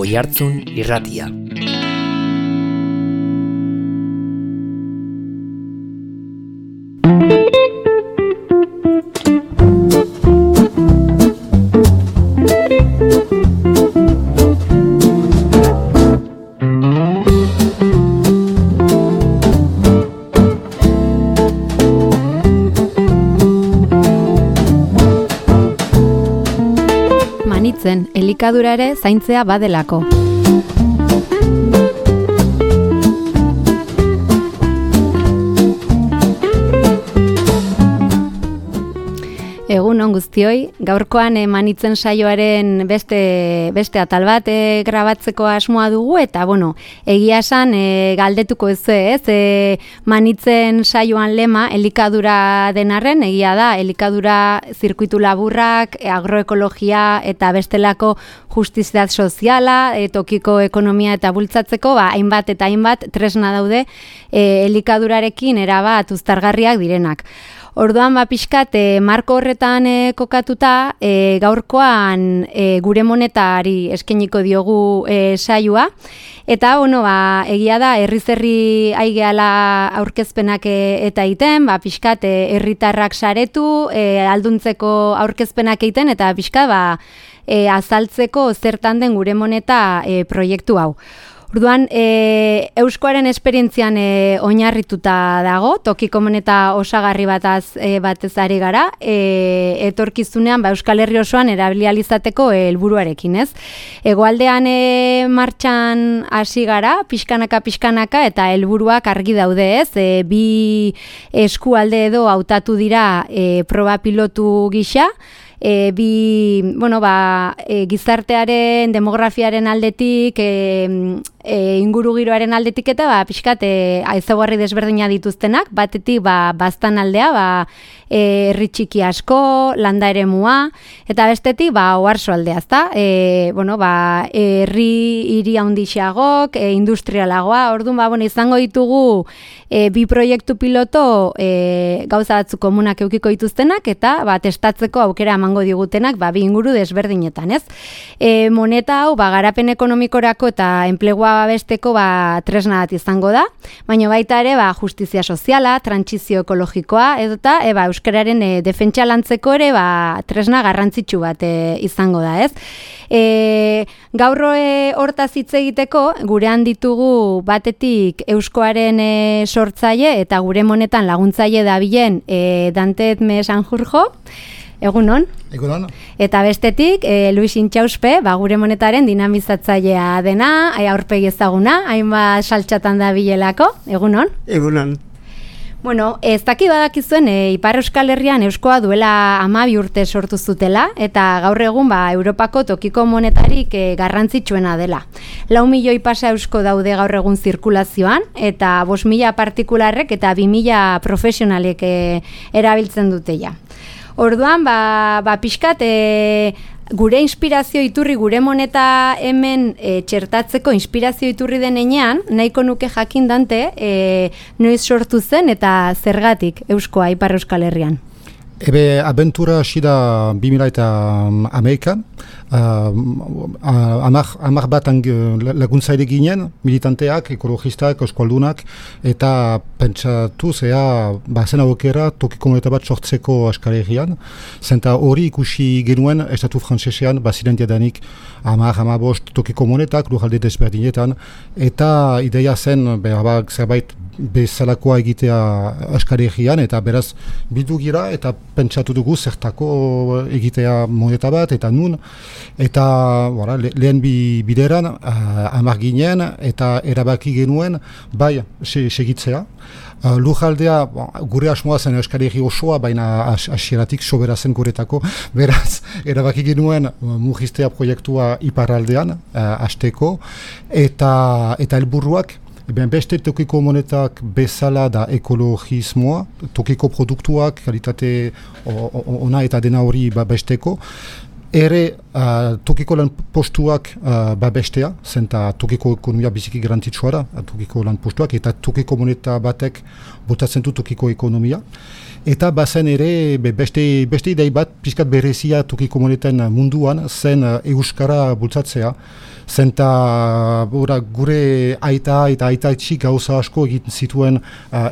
Oihartzun Irratia. Elikadura ere zaintzea badelako. Egun on guztioi, gaurkoan manitzen saioaren beste atal bat grabatzeko asmoa dugu eta egia esan galdetuko ez manitzen saioan lema elikadura denarren, egia da elikadura zirkuitu laburrak, agroekologia eta bestelako justizia soziala, tokiko ekonomia eta bultzatzeko hainbat eta hainbat tresna daude elikadurarekin erabat uztargarriak direnak. Orduan pixkat marko horretan kokatuta gaurkoan gure monetari eskainiko diogu saioa eta egia da herri aigeala aurkezpenak eta egiten, pixkat herritarrak saretu, alduntzeko aurkezpenak egiten eta pixkat azaltzeko zertan den gure moneta proiektu hau. Orduan, euskoaren esperientzian oinarrituta dago, tokiko moneta osagarri batez ari gara, etorkizunean Euskal Herri osoan erabilializateko helburuarekin, ez? Hegoaldean martxan hasi gara, pixkanaka eta helburuak argi daude, ez? Bi eskualde edo hautatu dira proba pilotu gisa, gizartearen, demografiaren aldetik, ingurugiroaren aldetik eta pixkat ezaugarri desberdina dituztenak, batetik baztan aldea, herri txiki asko, landa eremua, eta bestetik oarso aldea, ezta? Herri hiri handixeagok, industrialagoa, orduan izango ditugu bi proiektu piloto gauza batzu komunak eukiko dituztenak eta testatzeko aukera emango digutenak bi inguru desberdinetan, ez? Moneta hau garapen ekonomikorako eta enplegua babesteko tresna bat izango da, baina baita ere justizia soziala, trantsizio ekologikoa edota euskararen defentsa lantzeko ere tresna garrantzitsu bat izango da, ez? Gaur hortaz hitz egiteko gurean ditugu batetik euskoaren sortzaile eta gure monetan laguntzaile dabilen Dante Edme Sanjurjo. Egunon. Egunon. Eta bestetik, Luis Intxauspe, gure monetaren dinamizatzailea dena, aurpegi ezaguna, hainbat saltxatan dabilelako. Egunon. Egunon. Ez daki badakizuen, Ipar Euskal Herrian euskoa duela 12 urte sortu zutela, eta gaur egun Europako tokiko monetarik garrantzitsuena dela. 4 milioi pasa eusko daude gaur egun zirkulazioan, eta 5.000 partikularrek eta 2.000 profesionalek erabiltzen dute ja. Orduan, pixkat, gure inspirazio iturri, gure moneta hemen txertatzeko inspirazio iturri denean, nahiko nuke jakin Dante, noiz sortu zen eta zergatik euskoa Ipar Euskal Herrian. Abentura hasi da 2011an, hamar bat laguntzaile ginen, militanteak, ekologistak, euskaldunak, eta pentsatu zen aukera tokiko moneta bat sortzeko Euskal Herrian, zenta hori ikusi genuen estatu frantsesean, ziren diadanik 10-15 tokiko monetak, lurralde desberdinetan, eta ideia zen, zerbait bezalakoa egitea Euskal Herrian, eta beraz bildu gira, eta pentsatu dugu zertako egitea moneta bat, eta nun, eta lehen bideran hamar ginen, eta erabaki genuen, segitzea. Lurraldea, gure asmoa zen Euskal Herri osoa, baina hasieratik sobera zen guretako, beraz, erabaki genuen murriztea proiektua iparraldean, hasteko, eta helburuak, beste tokiko monetak bezala da ekologismoa, tokiko produktuak, kalitate ona eta dena hori besteko, ere tokiko lan postuak babestea, zenta tokiko ekonomia biziki garrantzitsua da, tokiko lan postuak, eta tokiko moneta batek botatzen du tokiko ekonomia. Eta bazen ere beste idei bat pixkat berezia toki komunitateen munduan zen euskara bultzatzea. Zenta gure aita eta aitaitxi gauza asko egiten zituen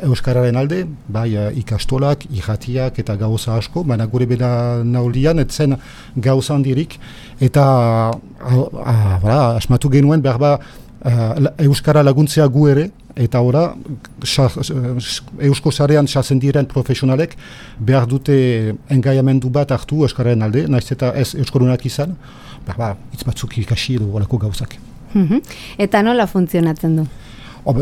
euskararen alde, bai ikastolak, irratiak eta gauza asko, baina gure beda naulian etzen gauza handirik, eta asmatu genuen behar euskara laguntzea gu ere, eta ora eusko sarean sartzen diren profesionalek behar dute engaiamendu bat hartu euskararen alde, naiz eta ez euskarunak izan, hitz batzuk ikasi edo olako gauzak. Eta nola funtzionatzen du?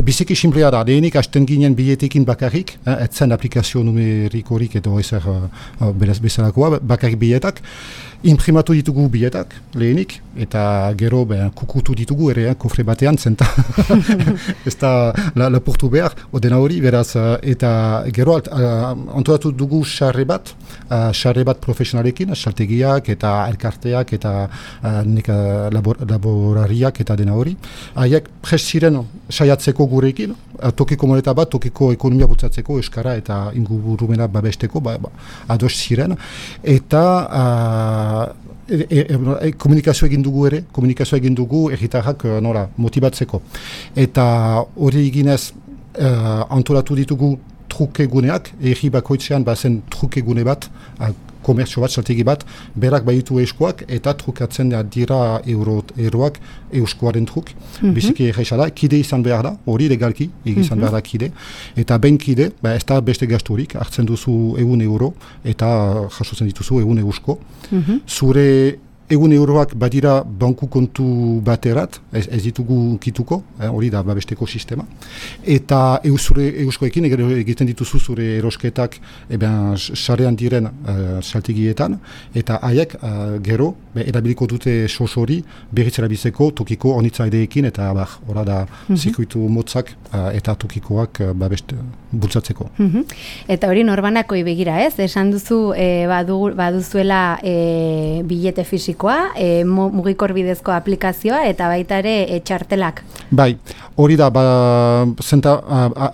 Biziki simplea da, lehenik hasten ginen biletekin bakarrik, etzen aplikazio numerikorik edo ezer bezalakoa, bakarrik biletak, imprimatu ditugu biletak lehenik, eta gero kukutu ditugu ere, kofre batean, zenta ez da lapurtu behar, odena hori, beraz, eta gero antolatu dugu sarre bat profesionalekin, saltegiak eta elkarteak eta laborariak eta dena hori. Haiek prest ziren saiatzeko gurekin, tokiko moneta bat, tokiko ekonomia bultzatzeko, euskara eta ingurumena babesteko, ados ziren, eta komunikazio egin dugu erritarrak motibatzeko. Eta hori eginez antolatu ditugu truke guneak, erri bakoitzean bazen truke gune bat, komertzio bat, saltegi bat, berak baitu euskoak eta trukatzen dira euroak euskoaren truk. Biziki erresa da, kide izan behar da, hori legalki, izan behar da kide. Eta ben kide, ez da beste gasturik, hartzen duzu €1 eta jasotzen dituzu €1. Zure €1 badira banku kontu baterat, ez ditugu kituko, hori da babesteko sistema. Eta euskoekin egiten dituzu zure erosketak sarean diren saltegietan, eta haiek gero erabiliko dute sos hori berriz erabiltzeko tokiko onitzaideekin, eta hori da zirkuitu motzak eta tokikoak bultzatzeko. Eta hori norbanakoi begira ez? Esan duzu baduzuela bilete fisiko, mugikor bidezko aplikazioa eta baita ere txartelak. Bai, hori da, zenta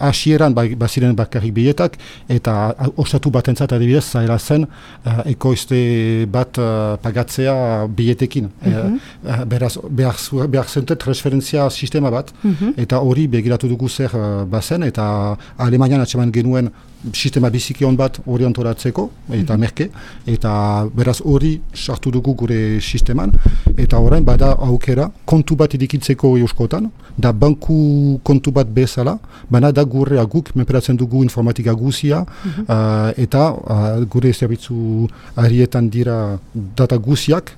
hasieran baziren bakarrik biletak, eta osatu batentzat adibidez zaila zen ekoizte bat pagatzea biletekin. Beraz, behar zente transferentzia sistema bat, eta hori begiratu dugu zer bazen, eta Alemanian atseman genuen sistema biziki hon bat hori antolatzeko, eta merke, eta beraz hori sartu dugu gure sisteman, eta orain bada aukera kontu bat edikitzeko euskotan, da banku kontu bat bezala, baina da gure guk menperatzen dugu informatika guzia, eta gure zerbitzu arietan dira data guziak,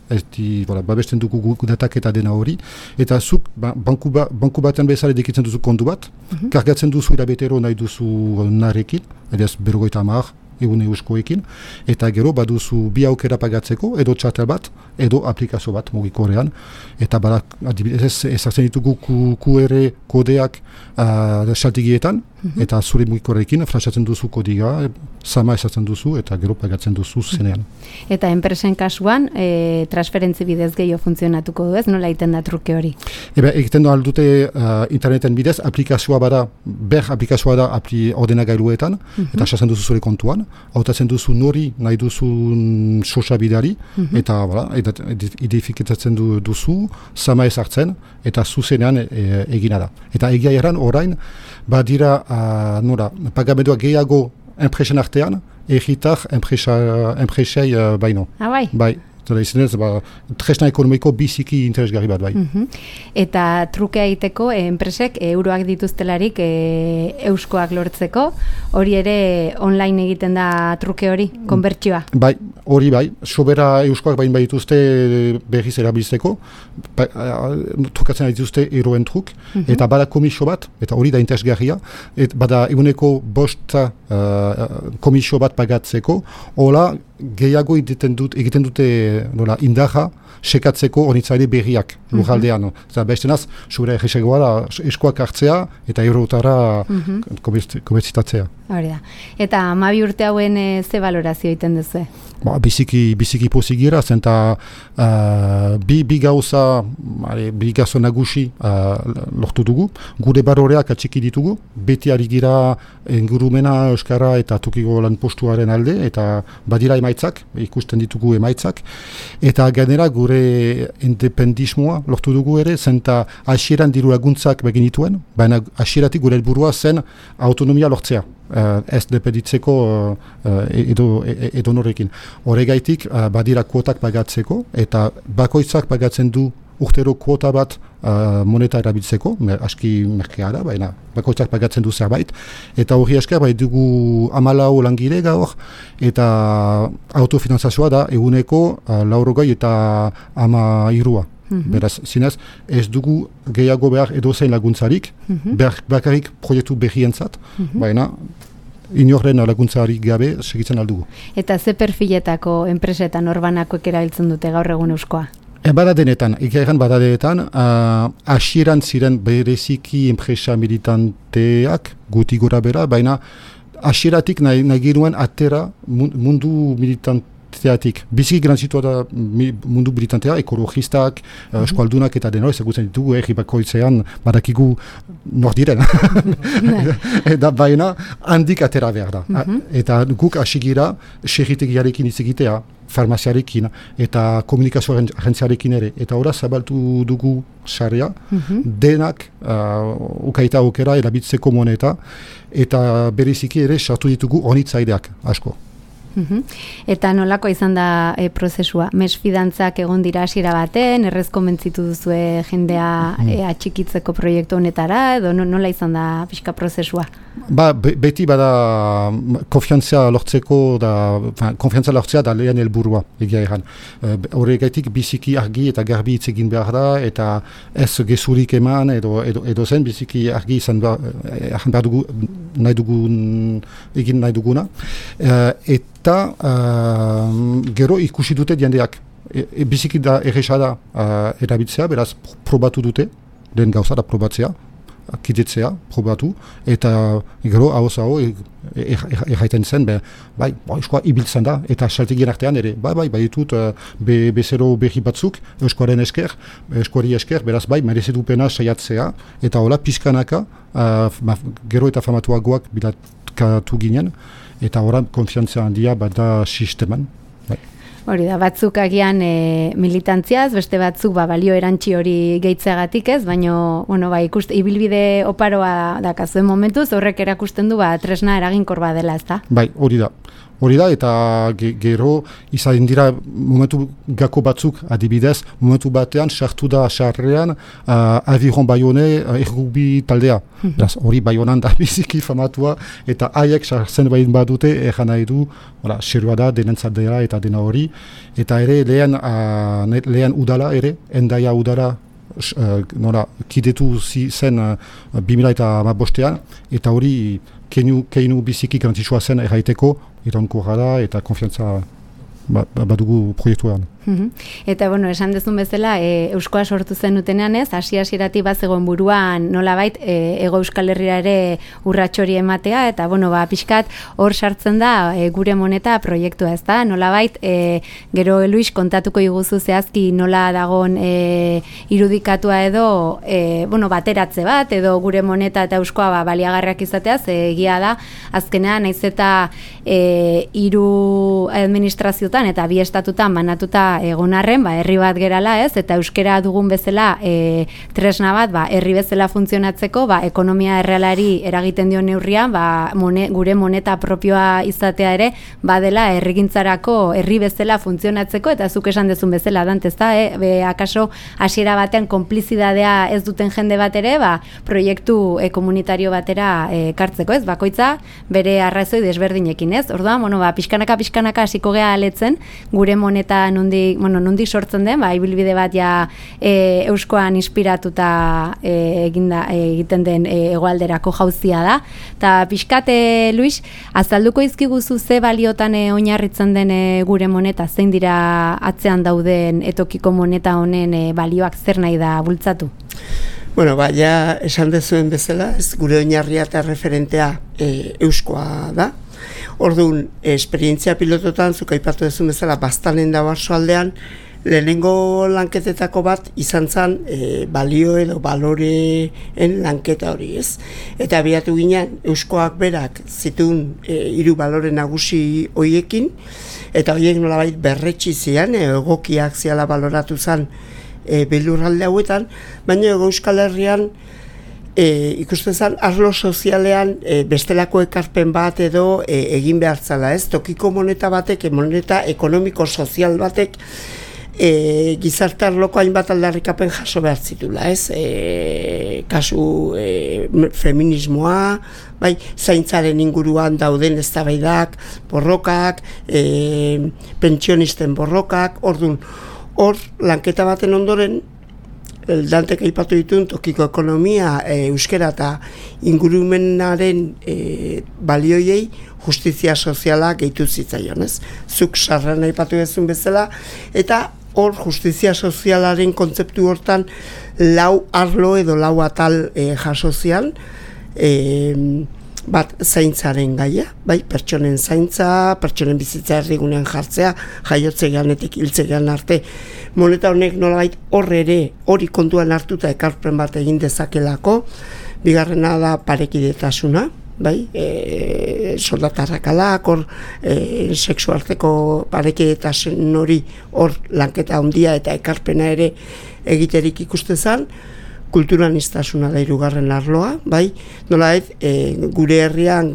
babesten dugu guk datak eta dena hori, eta zuk banku baten bezala edikitzen duzu kontu bat, kargatzen duzu irabetero nahi duzu narekin, edaz 50 €1 eta gero baduzu bi aukera pagatzeko, edo txartel bat, edo aplikazio bat mugikorean, eta ezartzen ditugu QR kodeak saltegietan, eta zure mugikorekin frasatzen duzu kodiga, sama ezartzen duzu, eta gero pagatzen duzu zenean. Eta enpresen kasuan, transferentzi bidez gehiago funtzionatuko du ez? Nola egiten da truke hori? Egiten du aldute interneten bidez, aplikazioa da ordenagailuetan, eta esatzen duzu zure kontuan, hautatzen duzu nori nahi duzun sosa bidari, eta identifikatzen duzu, sama ezartzen, eta zuzenean egina da. Eta egia erran orain, badira pagamendua gehiago enpresen artean, erritar enpresei baino. Bai. Tresna ekonomiko biziki interesgarri bat bai. Eta trukea egiteko enpresek euroak dituztelarik euskoak lortzeko, hori ere online egiten da truke hori, konbertsioa? Bai, hori bai, sobera euskoak bain dituzte berriz erabiltzeko, trukatzen dituzte eroen truk, eta bada komisio bat, eta hori da interesgarria, bada €1 komisio bat pagatzeko, hola gehiago egiten dute nola, indarra sekatzeko hornitzaile berriak lujaldean. Bestenaz, zure egisegoa da eskoak hartzea eta eurotara komertzitatzea. Hori da. Eta 12 urte hauen ze valorazio egiten duzu? Biziki pozik gira, zenta bi gauza nagusi lortu dugu. Gure baroreak atxiki ditugu, beti ari gira ingurumena, euskara eta tokiko lan postuaren alde, eta badira emaitzak, ikusten ditugu emaitzak. Eta gainera gure independismoa lortu dugu ere, zenta hasieran diru laguntzak begin dituen, baina hasieratik gure helburua zen autonomia lortzea. Ez dependitzeko edo norekin. Horregaitik badira kuotak pagatzeko eta bakoitzak pagatzen du urtero kuota bat moneta erabiltzeko, aski merkea da, baina bakoitzak pagatzen du zerbait, eta hori esker bai dugu 14 langile gaur, eta autofinantzazioa da eguneko 80 eta 13. Beraz, zinez, ez dugu gehiago behar edozein laguntzarik, bakarrik proiektu berrientzat, baina inorren laguntzarik gabe segitzen aldugu. Eta ze perfiletako enpresetan orbanakoek erabiltzen dute gaur egun euskoa? Badadenetan, hasieran ziren bereziki enpresa militanteak guti gora bera, baina hasieratik nahi giruen atera mundu militanteatik. Biziki granzitua da mundu militantea, ekologistak, eskualdunak eta denoi ezagutzen ditugu, bakoitzean badakigu nor diren. Eta baina handik atera behar da. Eta guk hasi gira segitegiarekin hitz egitea, farmaziarekin eta komunikazio agentziarekin ere. Eta ora zabaltu dugu sarea, denak ukaita aukera erabiltzeko moneta, eta bereziki ere sartu ditugu hornitzaileak asko. Eta nolako izan da prozesua? Mesfidantzak egon dira hasiera baten, errez konbentzitu duzue jendea atxikitzeko proiektu honetara, edo nola izan da pixka prozesua? Beti bada konfiantza lortzea da lehen helburua, egia egan. Horregaitik biziki argi eta garbi hitz egin behar da, eta ez gezurik eman edo zen biziki argi izan behar dugu egin nahi duguna. Eta gero ikusi dute jendeak. Biziki da erresa da erabiltzea, beraz probatu dute, lehen gauza da probatzea, kidetzea, probatu, eta gero hau erraiten zen, euskoa ibiltzen da, eta saltegien artean ere, bai ditut bezero berri batzuk, euskoari esker, beraz merezedupena saiatzea, eta hola pizkanaka, gero eta famatuagoak bilatkatu ginen, eta horan konfiantzia handia bada sisteman. Hori da, batzuk agian militantziaz, beste batzuk balio erantzi hori gehitzeagatik ez, baina ibilbide oparoa dakazuen momentuz, horrek erakusten du tresna eraginkor badela, ez da? Bai, hori da, eta gero izan dira momentu gako batzuk adibidez, momentu batean sartu da sarrean Aviron Bayone errugbi taldea. Hori Bayonan da biziki famatua, eta haiek sartzen bain badute egan nahi du, serua da, denentzat dela eta dena hori, eta ere lehen udala ere, Endaia udala kidetu zen 2015, eta hori keinu biziki garantzitsua zen erraiteko, iraunkorra da eta konfiantza badugu proiektuan. Eta, esan dezun bezala, euskoa sortu zen utenean ez, hasieratik bazegoen buruan nolabait Hego Euskal Herria ere urratxori ematea, eta, pixkat hor sartzen da gure moneta proiektua, ez da? Nolabait, gero Luis kontatuko iguzu zehazki nola dagon irudikatua edo, bateratze bat, edo gure moneta eta euskoa baliagarriak izateaz, egia da, azkenean, naiz eta hiru administraziotan eta bi estatutan banatuta egon arren, herri bat gerala ez, eta euskera dugun bezala tresna bat, herri bezala funtzionatzeko, ekonomia errealari eragiten dion neurrian, gure moneta propioa izatea ere, badela herrigintzarako herri bezala funtzionatzeko, eta zuk esan dezun bezala, dant, ez da, akaso hasiera batean konplizidadea ez duten jende bat ere, proiektu komunitario batera kartzeko, ez, bakoitza bere arrazoi desberdinekin, ez, orduan, pixkanaka hasiko gea aletzen, gure moneta nondik nondik sortzen den, ibilbide bat euskoan inspiratuta egiten den hegoalderako jauzia da. Ta pixkate, Luis, azalduko izkiguzu ze baliotan oinarritzen den gure moneta, zein dira atzean dauden etokiko moneta honen balioak zer nahi da bultzatu? Bueno, ja esan dezuen bezala, ez gure oinarria eta referentea euskoa da. Orduan, esperientzia pilototan, zuk aipatu dezun bezala, Baztanen da Barsoaldean, lehenengo lanketetako bat izan zen balio edo baloreen lanketa hori, ez? Eta abiatu ginen, euskoak berak zituen 3 balore nagusi hoiekin, eta horiek nolabait berretsi zian, egokiak ziala baloratu zen belurralde hauetan, baina Euskal Herrian ikusten zen arlo sozialean bestelako ekarpen bat edo egin behar zala, ez? Tokiko moneta batek, moneta ekonomiko-sozial batek gizarte arloko hainbat aldarrikapen jaso behar zitula, ez? Kasu feminismoa, zaintzaren inguruan dauden eztabaidak, borrokak, pentsionisten borrokak, orduan, hor, lanketa baten ondoren, Dantek aipatu dituen tokiko ekonomia, euskera eta ingurumenaren balioiei justizia soziala gehitu zitzaion, ez? Zuk sarran aipatu duzun bezala, eta hor justizia sozialaren kontzeptu hortan 4 arlo edo 4 atal jasozian, bat zaintzaren gaia, pertsonen zaintza, pertsonen bizitza erdigunean jartzea, jaiotzeganetik hiltzegan arte. Moneta honek nolabait hori kontuan hartuta ekarpen bat egin dezakelako. Bigarrena da parekidetasuna, soldatarrakalak, hor sexuarteko parekidetasun hori hor lanketa handia eta ekarpena ere egiterik ikuste zen. Kulturaniztasuna da 3. arloa, nolabait gure herrian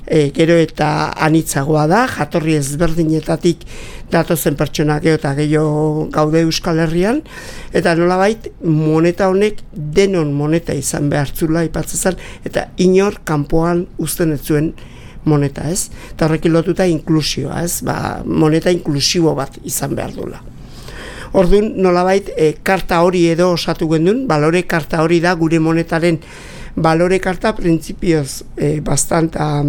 gero eta anitzagoa da, jatorri ezberdinetatik datozen pertsonak eta gehiago gaude Euskal Herrian, eta nolabait moneta honek denon moneta izan behartzula aipatzen, eta inor kanpoan uzten ez zuen moneta, ez? Eta horrekin lotuta inklusioa, ez? Moneta inklusibo bat izan behar dula. Orduan, nolabait, karta hori edo osatu gendun, balore karta hori da gure monetaren balore karta printzipioz bastanta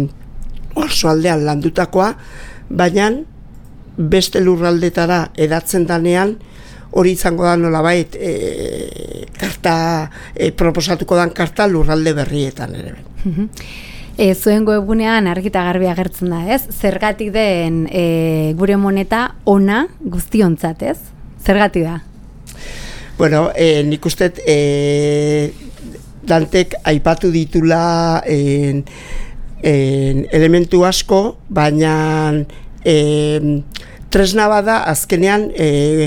Oarsoaldean landutakoa, baina beste lurraldetara edatzen danean hori izango da nolabait karta proposatuko dan karta lurralde berrietan ere. Zuen webgunean argita garbi agertzen da, ez? Zergatik den gure moneta ona guztiontzat, ez? Zergatik da? Bueno, nik uste Dantek aipatu ditula elementu asko, baina tresna bada azkenean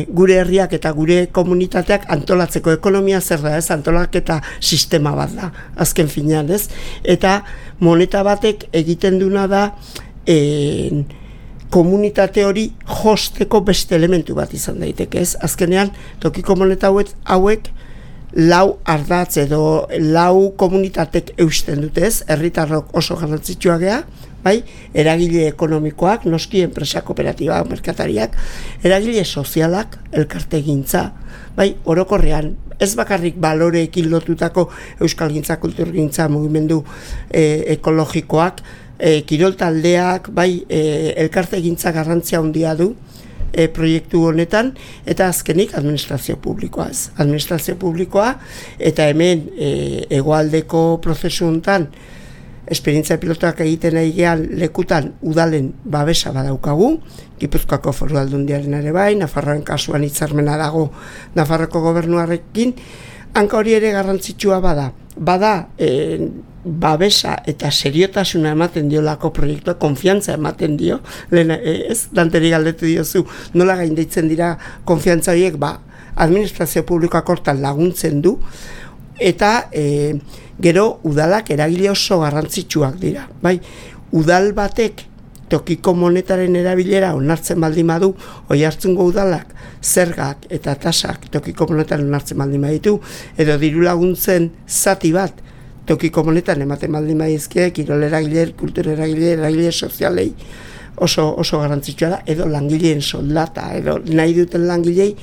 gure herriak eta gure komunitateak antolatzeko ekonomia zer da, ez? Antolaketa sistema bat da, azken finean, ez? Eta moneta batek egiten duna da komunitate hori josteko beste elementu bat izan daiteke, ez? Azkenean, tokiko moneta hauek 4 ardatz edo 4 komunitatek eusten dute, ez? Herritarrok oso garrantzitsua gea, eragile ekonomikoak, noski enpresa kooperatiba, merkatariak, eragile sozialak, elkartegintza, orokorrean, ez bakarrik baloreekin lotutako euskalgintza, kulturgintza, mugimendu ekologikoak, kirol taldeak, elkartegintza garrantzia handia du proiektu honetan, eta azkenik administrazio publikoa, ez? Administrazio publikoa, eta hemen hegoaldeko prozesu honetan esperientzia pilotoak egiten egian lekutan udalen babesa badaukagu, Gipuzkoako Foru Aldundiaren ere Nafarroaren kasuan hitzarmena dago Nafarroko gobernuarekin, hanka hori ere garrantzitsua bada babesa eta seriotasuna ematen diolako proiektua, konfiantza ematen dio, ez, Danteri galdetu diozu, nola gaindeitzen dira konfiantza horiek, administrazio publikoak hortan laguntzen du, eta gero udalak eragile oso garrantzitsuak dira, udal batek tokiko monetaren erabilera onartzen baldin badu, Oiartzungo udalak zergak eta tasak tokiko monetaren onartzen baldin baditu, edo diru laguntzen zati bat tokiko monetan ematen baldin badizkie, kirol eragile, kultur eragile, eragile sozialei, oso garrantzitsua da, edo langileen soldata, edo nahi duten langilei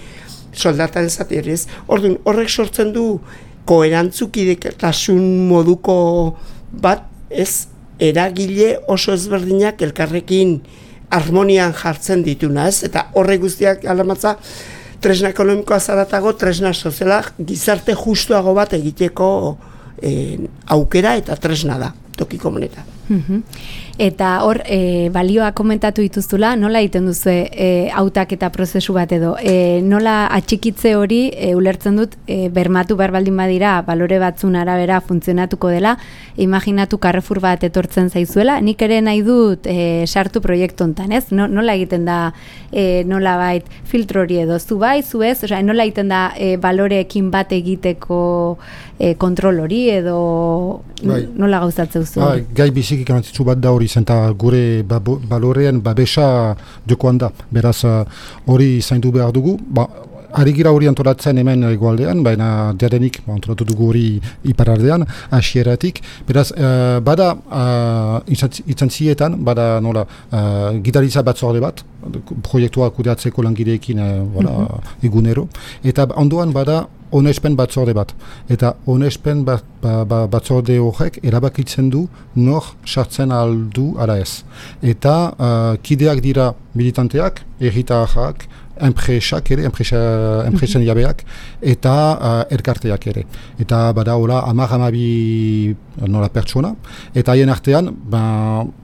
soldata ez. Orduan, horrek sortzen du koerantzukidetasun moduko bat, ez eragile oso ezberdinak elkarrekin harmonian jartzen dituna, ez? Eta horrek guztiak alamatza tresna ekonomikoa zaratago, tresna soziala gizarte justuago bat egiteko aukera eta tresna da, tokiko moneta. Eta hor, balioa komentatu dituzula, nola egiten duzu hautaketa prozesu bat edo, nola atxikitze hori ulertzen dut bermatu behar baldin badira balore batzun arabera funtzionatuko dela, imaginatu Carrefour bat etortzen zaizuela, nik ere nahi dut sartu proiektu hontan, ez? Nola egiten da nola bait filtro hori edo, zu bai, zu ez, nola egiten da baloreekin bat egiteko kontrol hori edo nola gauzatzen duzu? Gai biziki garrantzitsu bat da hori zenta gure balorean babesa jokoan da. Beraz hori zaindu behar dugu. Ari gira hori antolatzen hemen egoaldean, baina diadenik antolatu dugu hori iparaldean, hasieratik. Beraz, bada itzantzietan, bada nola gidaritza batzorde bat, proiektua kudeatzeko langileekin egunero. Eta ondoan bada onespen batzorde bat. Eta onespen batzorde horrek erabakitzen du nor sartzen aldu ara ez. Eta kideak dira militanteak, herritarrak, enpresak ere, enpresen jabeak, eta elkarteak ere. Eta bada hola 10-12 nola pertsona, eta haien artean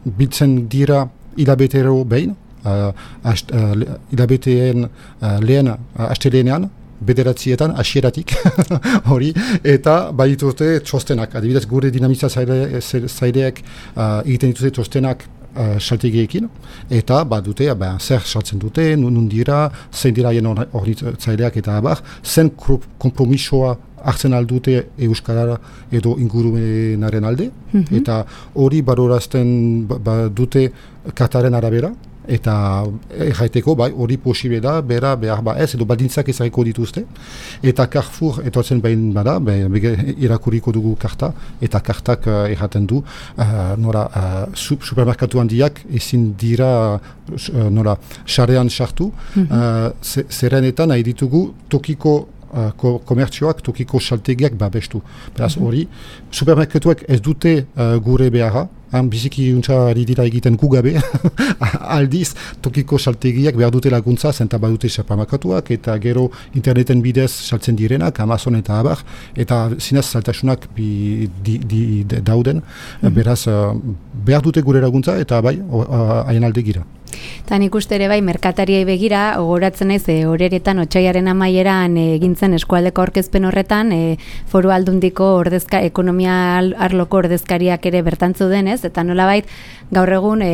biltzen dira hilabetero behin, hilabeteen lehen astelenean, bederatzietan, hasieratik, hori, eta badituzte txostenak. Adibidez, gure dinamizia zaileak egiten dituzte txostenak saltegiekin, eta badute, zer saltzen dute, nun dira, zein dira hien hornitzaileak eta abar, zen kompromisoa hartzen aldute euskarara edo ingurumenaren alde, eta hori balorazten dute kartaren arabera, eta erraiteko, hori posible da, bera behar ez, edo baldintzak ezareko dituzte, eta Carrefour etortzen behin bada, irakuriko dugu karta, eta kartak erraten du, supermerkatu handiak ezin dira sarean sartu, zerrenetan nahi ditugu tokiko komertzioak, tokiko saltegiak babestu. Beraz hori, supermerkatuak ez dute gure beharra, biziki untsa ari dira egiten gugabe, aldiz tokiko saltegiak behar dute laguntza, zenta badute supermerkatuak, eta gero interneten bidez saltzen direnak, Amazon eta abar, eta zinez saltasunak dauden, beraz behar dute gure laguntza, eta haien alde gira. Eta nik uste ere merkatariei begira, gogoratzen naiz horeretan otsaiaren amaieran egintzen eskualdeko aurkezpen horretan, Foru Aldundiko ekonomia arloko ordezkariak ere bertantzu denez, eta nolabait gaur egun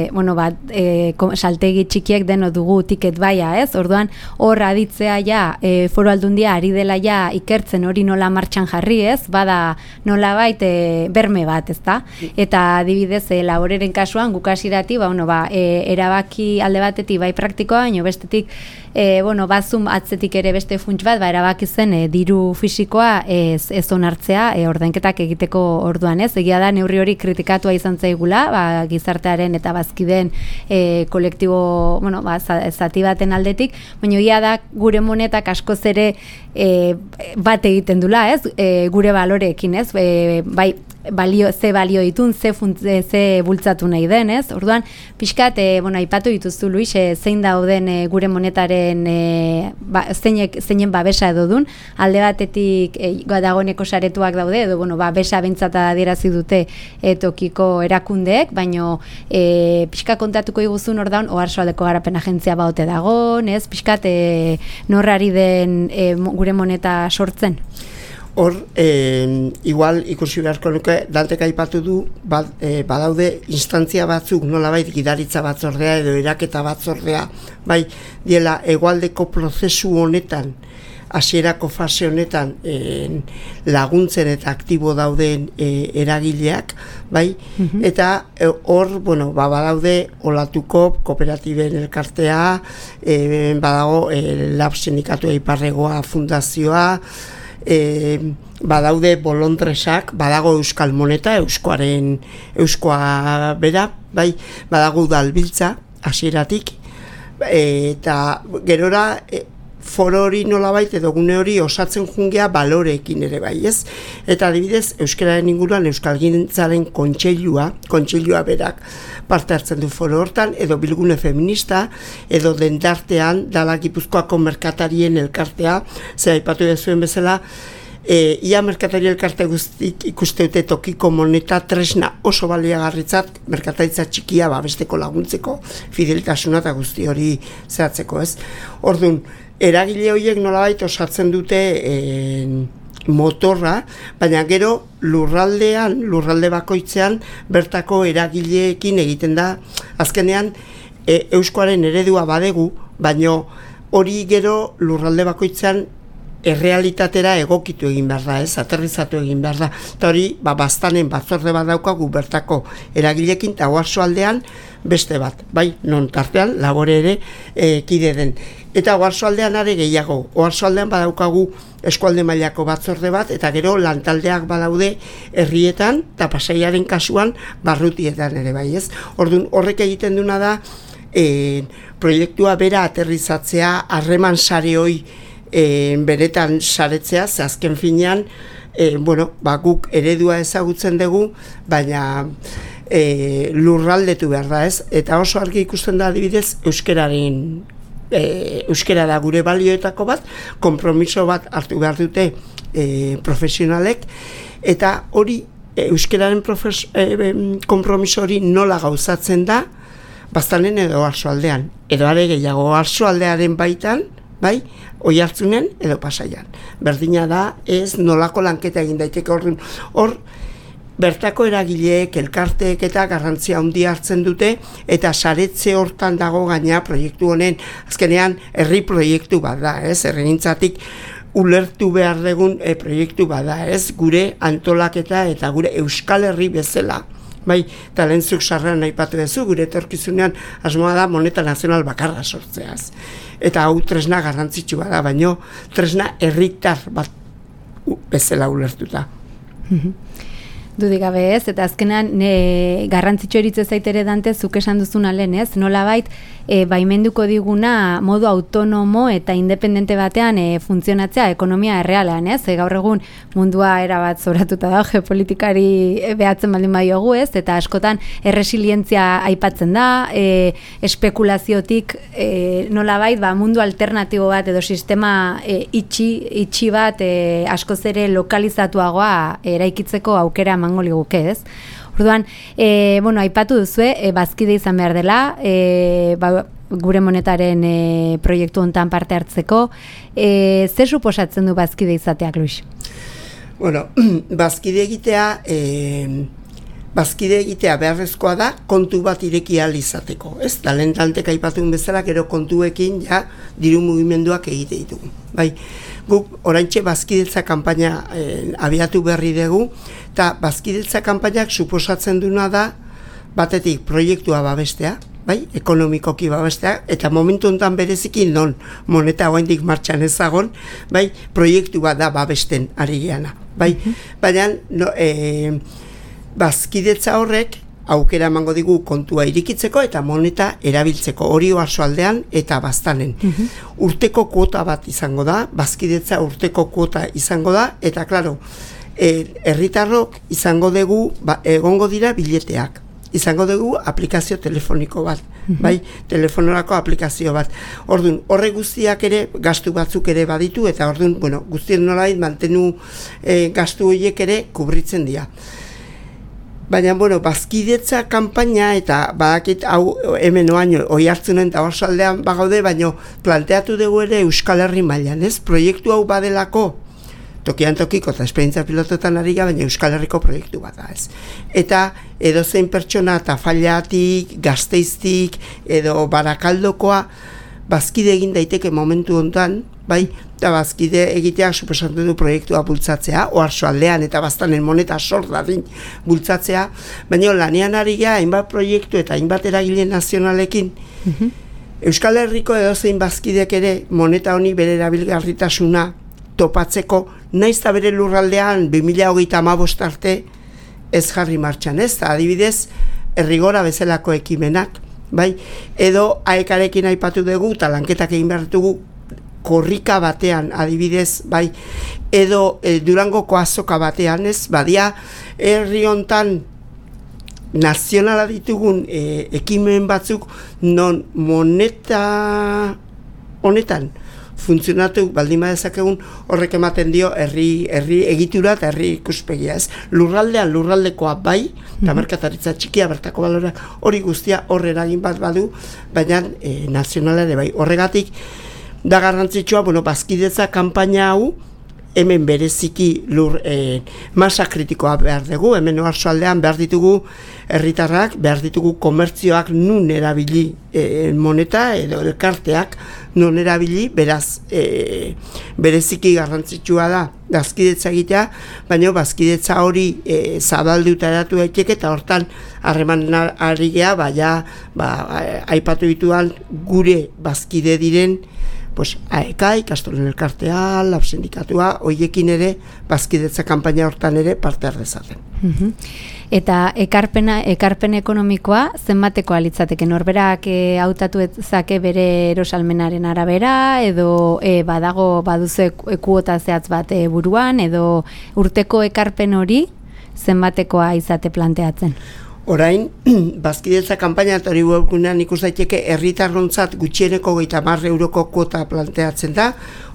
saltegi txikiek deno dugu tiket baia, ez? Orduan hor aditzea Foru Aldundia ari dela ikertzen hori nola martxan jarri, ez? Bada nolabait berme bat, ezta? Eta adibidez laboreren kasuan gukasirati erabaki alde batetik praktikoa, baina bestetik bazum atzetik ere beste funts bat, erabaki zen diru fisikoa ez onartzea ordainketak egiteko orduan, ez? Egia da neurri hori kritikatua izan zaigula, gizartearen eta bazkideen kolektibo, zati baten aldetik, baina egia da gure monetak askoz ere bat egiten dula, ez? Gure baloreekin, ez? Ze balio ditun, ze bultzatu nahi den, ez? Orduan, pixkat, aipatu dituzu, Luis, zein dauden gure monetaren zeinen babesa edo dun, alde batetik dagoeneko saretuak daude, edo babesa bentsata adierazi dute tokiko erakundeek, baino pixka kontatuko iguzun ordaun, Oarsoaldeko Garapen Agentzia baote dagon, ez? Pixkat, norrari den gure moneta sortzen? Hor, igual ikusi beharko nuke, Dantek aipatu du, badaude instantzia batzuk, nolabait gidaritza batzordea edo eraketa batzordea, diela hegoaldeko prozesu honetan, hasierako fase honetan laguntzen eta aktibo dauden eragileak, eta hor, badaude Olatuko kooperatiben elkartea, badago Lab Sindikatua Iparregoa fundazioa, badaude bolondresak, badago Euskal Moneta, euskoa bera, badago udalbiltza, hasieratik, eta gerora foro hori nolabait edo gune hori osatzen jungea baloreekin ere bai, ez? Eta adibidez, euskararen inguruan euskalgintzaren kontseilua berak parte hartzen du foro hortan, edo bilgune feminista, edo dendartean, dala Gipuzkoako merkatarien elkartea, ze aipatu zuen bezala, ia merkatari elkarte guztik ikuste dute tokiko moneta tresna oso baliagarritzat merkataritza txikia besteko laguntzeko fideltasuna eta guzti hori zehatzeko, ez? Orduan, eragile horiek nolabait osatzen dute motorra, baina gero lurralde bakoitzean bertako eragileekin egiten da, azkenean euskoaren eredua badegu, baina hori gero lurralde bakoitzean errealitatera egokitu egin behar da, ez, aterrizatu egin behar da. Eta hori, bastanen batzorde bat daukagu bertako eragilekin, eta Oarsoaldean beste bat, bai, non tartean labore ere kide den. Eta Oarsoaldean are gehiago, Oarsoaldean badaukagu eskualde mailako batzorde bat, eta gero lantaldeak badaude herrietan, eta Pasaiaren kasuan barrutietan ere bai, ez. Orduan, horrek egiten duna da, proiektua bera aterrizatzea, harreman sare hoi beretan saretzea, ze azken finean, guk eredua ezagutzen dugu, baina lurraldetu behar da, ez? Eta oso argi ikusten da adibidez euskara da gure balioetako bat, konpromiso bat hartu behar dute profesionalek, eta hori euskararen konpromiso hori nola gauzatzen da, Baztanen edo Oarsoaldean, edo are gehiago Oarsoaldearen baitan, bai, Oiartzunen edo Pasaian. Berdina da, ez nolako lanketa egin daiteke hor bertako eragileek, elkarteek eta garrantzia handia hartzen dute, eta saretze hortan dago gaina proiektu honen, azkenean herri proiektu bat da, ez, herrigintzatik ulertu behar dugun proiektu bat da, ez, gure antolaketa eta gure Euskal Herri bezala. Bai, talentzuk sarrean aipatu duzu, gure etorkizunean asmoa da moneta nazional bakarra sortzeaz. Eta hau tresna garrantzitsua da, baino tresna herritar bat bezala ulertuta. Dudik gabe ez, eta azkenan garrantzitsu eritze zaitere Dante, zuk esan duzuna lehen ez, nolabait baimenduko diguna modu autonomo eta independente batean funtzionatzea ekonomia errealean ez, gaur egun mundua erabat zoratuta da, geopolitikari behatzen baldin badiogu ez, eta askotan erresilientzia aipatzen da, espekulaziotik nolabait mundu alternatibo bat edo sistema itxi bat askoz ere lokalizatuagoa eraikitzeko aukera emango liguke ez. Orduan, aipatu duzue, bazkide izan behar dela, gure monetaren proiektu hontan parte hartzeko. Zer suposatzen du bazkide izateak, Luis? Bazkide egitea beharrezkoa da kontu bat ireki ahal izateko. Ez, talentantek aipatun bezala, gero kontuekin diru mugimenduak egite ditugu. Bai, guk oraintxe bazkidetza kanpaina abiatu berri dugu, eta bazkidetza kanpainak suposatzen duna da batetik proiektua babestea, bai, ekonomikoki babestea, eta momentu honetan bereziki non moneta oraindik martxan ezagon, bai, proiektu bat da babesten ari geana, bai, baina bazkidetza horrek aukera emango digu kontua irikitzeko eta moneta erabiltzeko, hori Oarsoaldean eta Baztanen. Urteko kuota bat izango da, bazkidetza urteko kuota izango da, eta klaro, herritarrok izango dugu, egongo dira bileteak, izango dugu aplikazio telefoniko bat, bai, telefonorako aplikazio bat. Orduan, horre guztiak ere, gastu batzuk ere baditu, eta orduan, guztien nolait mantenu gastu horiek ere kubritzen dira. Baina, bazkidetza kanpaina eta badakit hau hemen Oiartzunen eta Oarsoaldean bagaude, baina planteatu dugu ere Euskal Herri mailan, ez? Proiektu hau badelako, tokian tokiko eta esperientzia pilototan ari baina Euskal Herriko proiektu bat da, ez? Eta edozein pertsona eta Failatik, Gasteiztik edo Barakaldokoa bazkide egin daiteke momentu honetan, bai, eta bazkide egiteak suposatzen du proiektua bultzatzea, Oarsoaldean eta Baztanen moneta sort dadin bultzatzea, baina lanean ari gara hainbat proiektu eta hainbat eragile nazionalekin. Euskal Herriko edozein bazkidek ere moneta honi bere erabilgarritasuna topatzeko, naiz eta bere lurraldean 2025 arte ez jarri martxan, ez? Adibidez, Herrigora bezalako ekimenak, bai, edo aekarekin aipatu dugu, eta lanketak egin behar dugu korrika batean, adibidez, bai, edo Durangoko azoka batean, ez, badia, herri hontan nazionala ditugun ekimen batzuk non moneta honetan funtzionatu baldin badezakegun horrek ematen dio herri egitura eta herri ikuspegia, ez? Lurraldean lurraldekoa bai, eta merkataritza txikia bertako balora hori guztia horre eragin bat badu, baina nazionala ere bai. Horregatik da garrantzitsua, bazkidetza kanpaina hau hemen bereziki masa kritikoa behar dugu, hemen oarsoaldean behar ditugu herritarrak, behar ditugu komertzioak nun erabili moneta edo elkarteak nun erabili, beraz bereziki garrantzitsua da bazkidetza egitea, baina bazkidetza hori zabalduta eratu daiteke eta hortan harreman ari gea, aipatu dituan gure bazkide diren AEK, ikastolen elkartea, lab sindikatua, hoiekin ere, bazkidetza kanpaina hortan ere parte hardezaten. Eta ekarpen ekonomikoa zenbatekoa litzateke, norberak hautatu ezake bere erosalmenaren arabera, edo baduzu kuota zehatz bat buruan, edo urteko ekarpen hori zenbatekoa izate planteatzen? Orain, bazkidetza kanpaina eta hori webgunean ikus daiteke herritarrontzat gutxieneko 30 euroko kuota planteatzen da,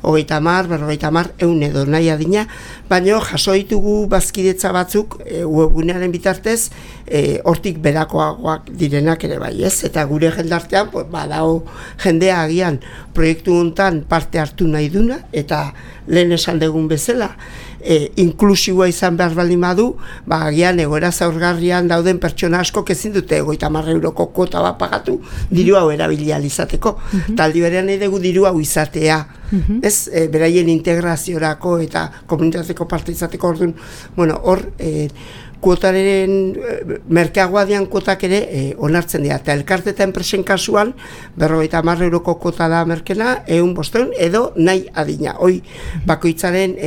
30, 50, 100 edo nahi adina, baina jaso ditugu bazkidetza batzuk webgunearen bitartez hortik berakoagoak direnak ere bai, ez? Eta gure jendartean, badago jendea agian proiektu hontan parte hartu nahi duna, eta lehen esan dugun bezala, inklusiboa izan behar baldin badu, agian egoera zaurgarrian dauden pertsona asko ezin dute 50 euroko kuota bat pagatu diru hau erabili ahal izateko. Taldi berean nahi dugu diru hau izatea, ez, beraien integraziorako eta komunitateko parte izateko. Orduan, hor kuotaren merkeagoa dian kuotak ere onartzen dira. Eta elkarte eta enpresen kasuan 50 euroko kuota da merkena, 100 edo nahi adina. Hoi bakoitzaren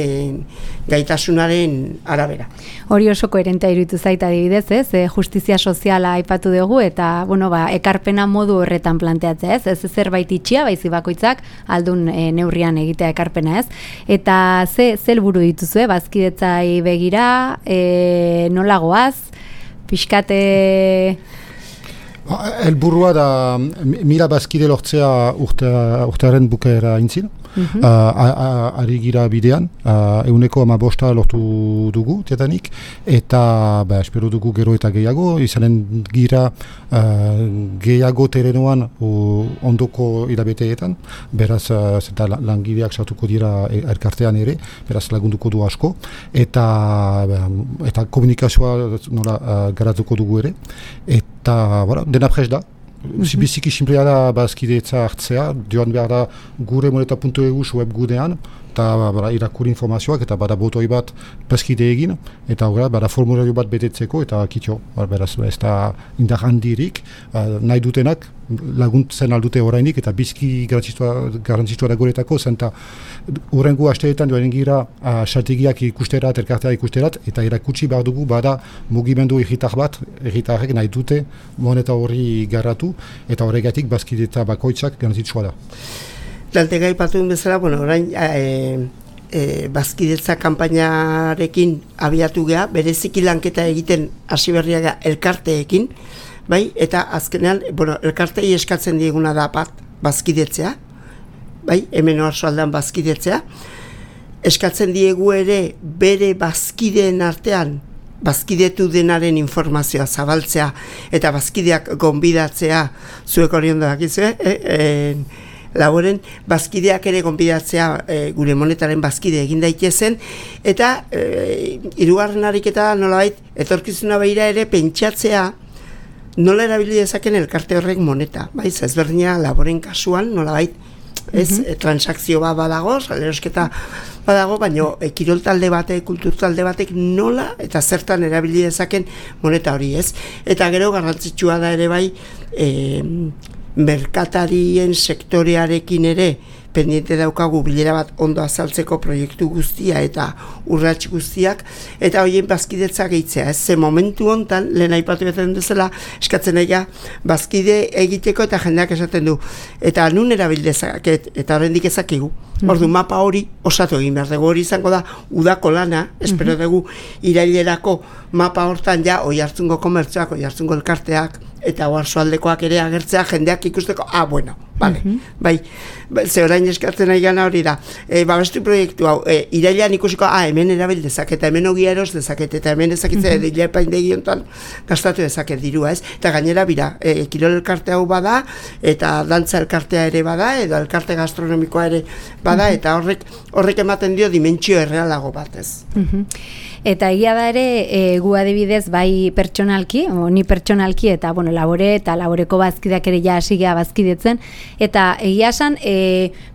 gaitasunaren arabera. Hori oso koherentea iruditu zaita adibidez, ez? Justizia soziala aipatu dugu eta ekarpena modu horretan planteatzea, ez? Ez zerbait itxia, baizik bakoitzak aldun neurrian egitea ekarpena, ez? Eta ze helburu dituzue bazkidetzai begira, nola goaz, pixkate... Helburua da 1000 bazkide lortzea urtearen bukaera intzin. Ari gira bidean, 115 lortu dugu tetanik, eta espero dugu gero eta gehiago, izanen gira gehiago terenoan ondoko hilabeteetan, beraz langileak sartuko dira elkartean ere, beraz lagunduko du asko, eta komunikazioa garatuko dugu ere, eta dena prest da. Biziki simplea da bazkidetza hartzea, joan behar da gure moneta.eu webgunean, eta irakur informazioak, eta bada botoi bat bazkide egin, eta bada formulario bat betetzeko, eta kitxo, beraz, ez da indar handirik, nahi dutenak laguntzen aldute orainik, eta bizki garrantzitsua da guretako, zenta horrengo asteetan joan gira strategiak ikusterat, elkartea ikusterat, eta erakutsi behar dugu bada mugimendu erritarrek nahi dute moneta hori garratu, eta horregatik bazkidetza bakoitzak garrantzitsua da. Daltega ipatuen bezala, orain bazkidetza kanpainarekin abiatu geha, bereziki lanketa egiten hasi berriaga elkarteekin, bai, eta azkenean, elkartei eskatzen dieguna da bat bazkidetzea, bai, hemen oarsoaldean bazkidetzea, eskatzen diegu ere bere bazkideen artean bazkidetu denaren informazioa zabaltzea eta bazkideak gonbidatzea, zuek hori ondo dakizue, laboren bazkideak ere gonbidatzea gure monetaren bazkide egin daitezen, eta hirugarren ariketa nolabait etorkizuna begira ere pentsatzea nola erabili dezaken elkarte horrek moneta, bai, ezberdina laboren kasuan nolabait transakzio bat badago, salerosketa badago, baina kirol talde batek, kultur talde batek nola eta zertan erabili dezaken moneta hori, ez? Eta gero garrantzitsua da ere bai merkatarien sektorearekin ere pendiente daukagu bilera bat ondo azaltzeko proiektu guztia eta urrats guztiak, eta horien bazkidetza gehitzea, ez? Ze momentu hontan, lehen aipatu betzen duzela, eskatzen aia bazkide egiteko eta jendeak esaten du. Eta nun erabil dezaket, eta horrendik ezakigu. Ordu mapa hori osatu egin behar dugu, hori izango da udako lana, espero dugu irailerako mapa hortan ja Oiartzungo komertzioak, Oiartzungo elkarteak eta oarsoaldekoak ere agertzea jendeak ikusteko, bueno, vale, bai, ze orain eskatzen nahi gana hori da, babestu proiektu hau, irailean ikusiko, hemen erabil dezaket, hemen ogia eros dezaket, eta hemen ezakitzea dilepaindegi hontan gastatu dezaket dirua, ez? Eta gainera bira, kirol elkarte hau bada, eta dantza elkartea ere bada, edo elkarte gastronomikoa ere bada, eta horrek ematen dio dimentsio errealago bat, ez? Eta egia da ere, gu adibidez, bai pertsonalki, ni pertsonalki, eta bueno, labore eta laboreko bazkideak ere ja hasigea bazkidetzen, eta egia esan,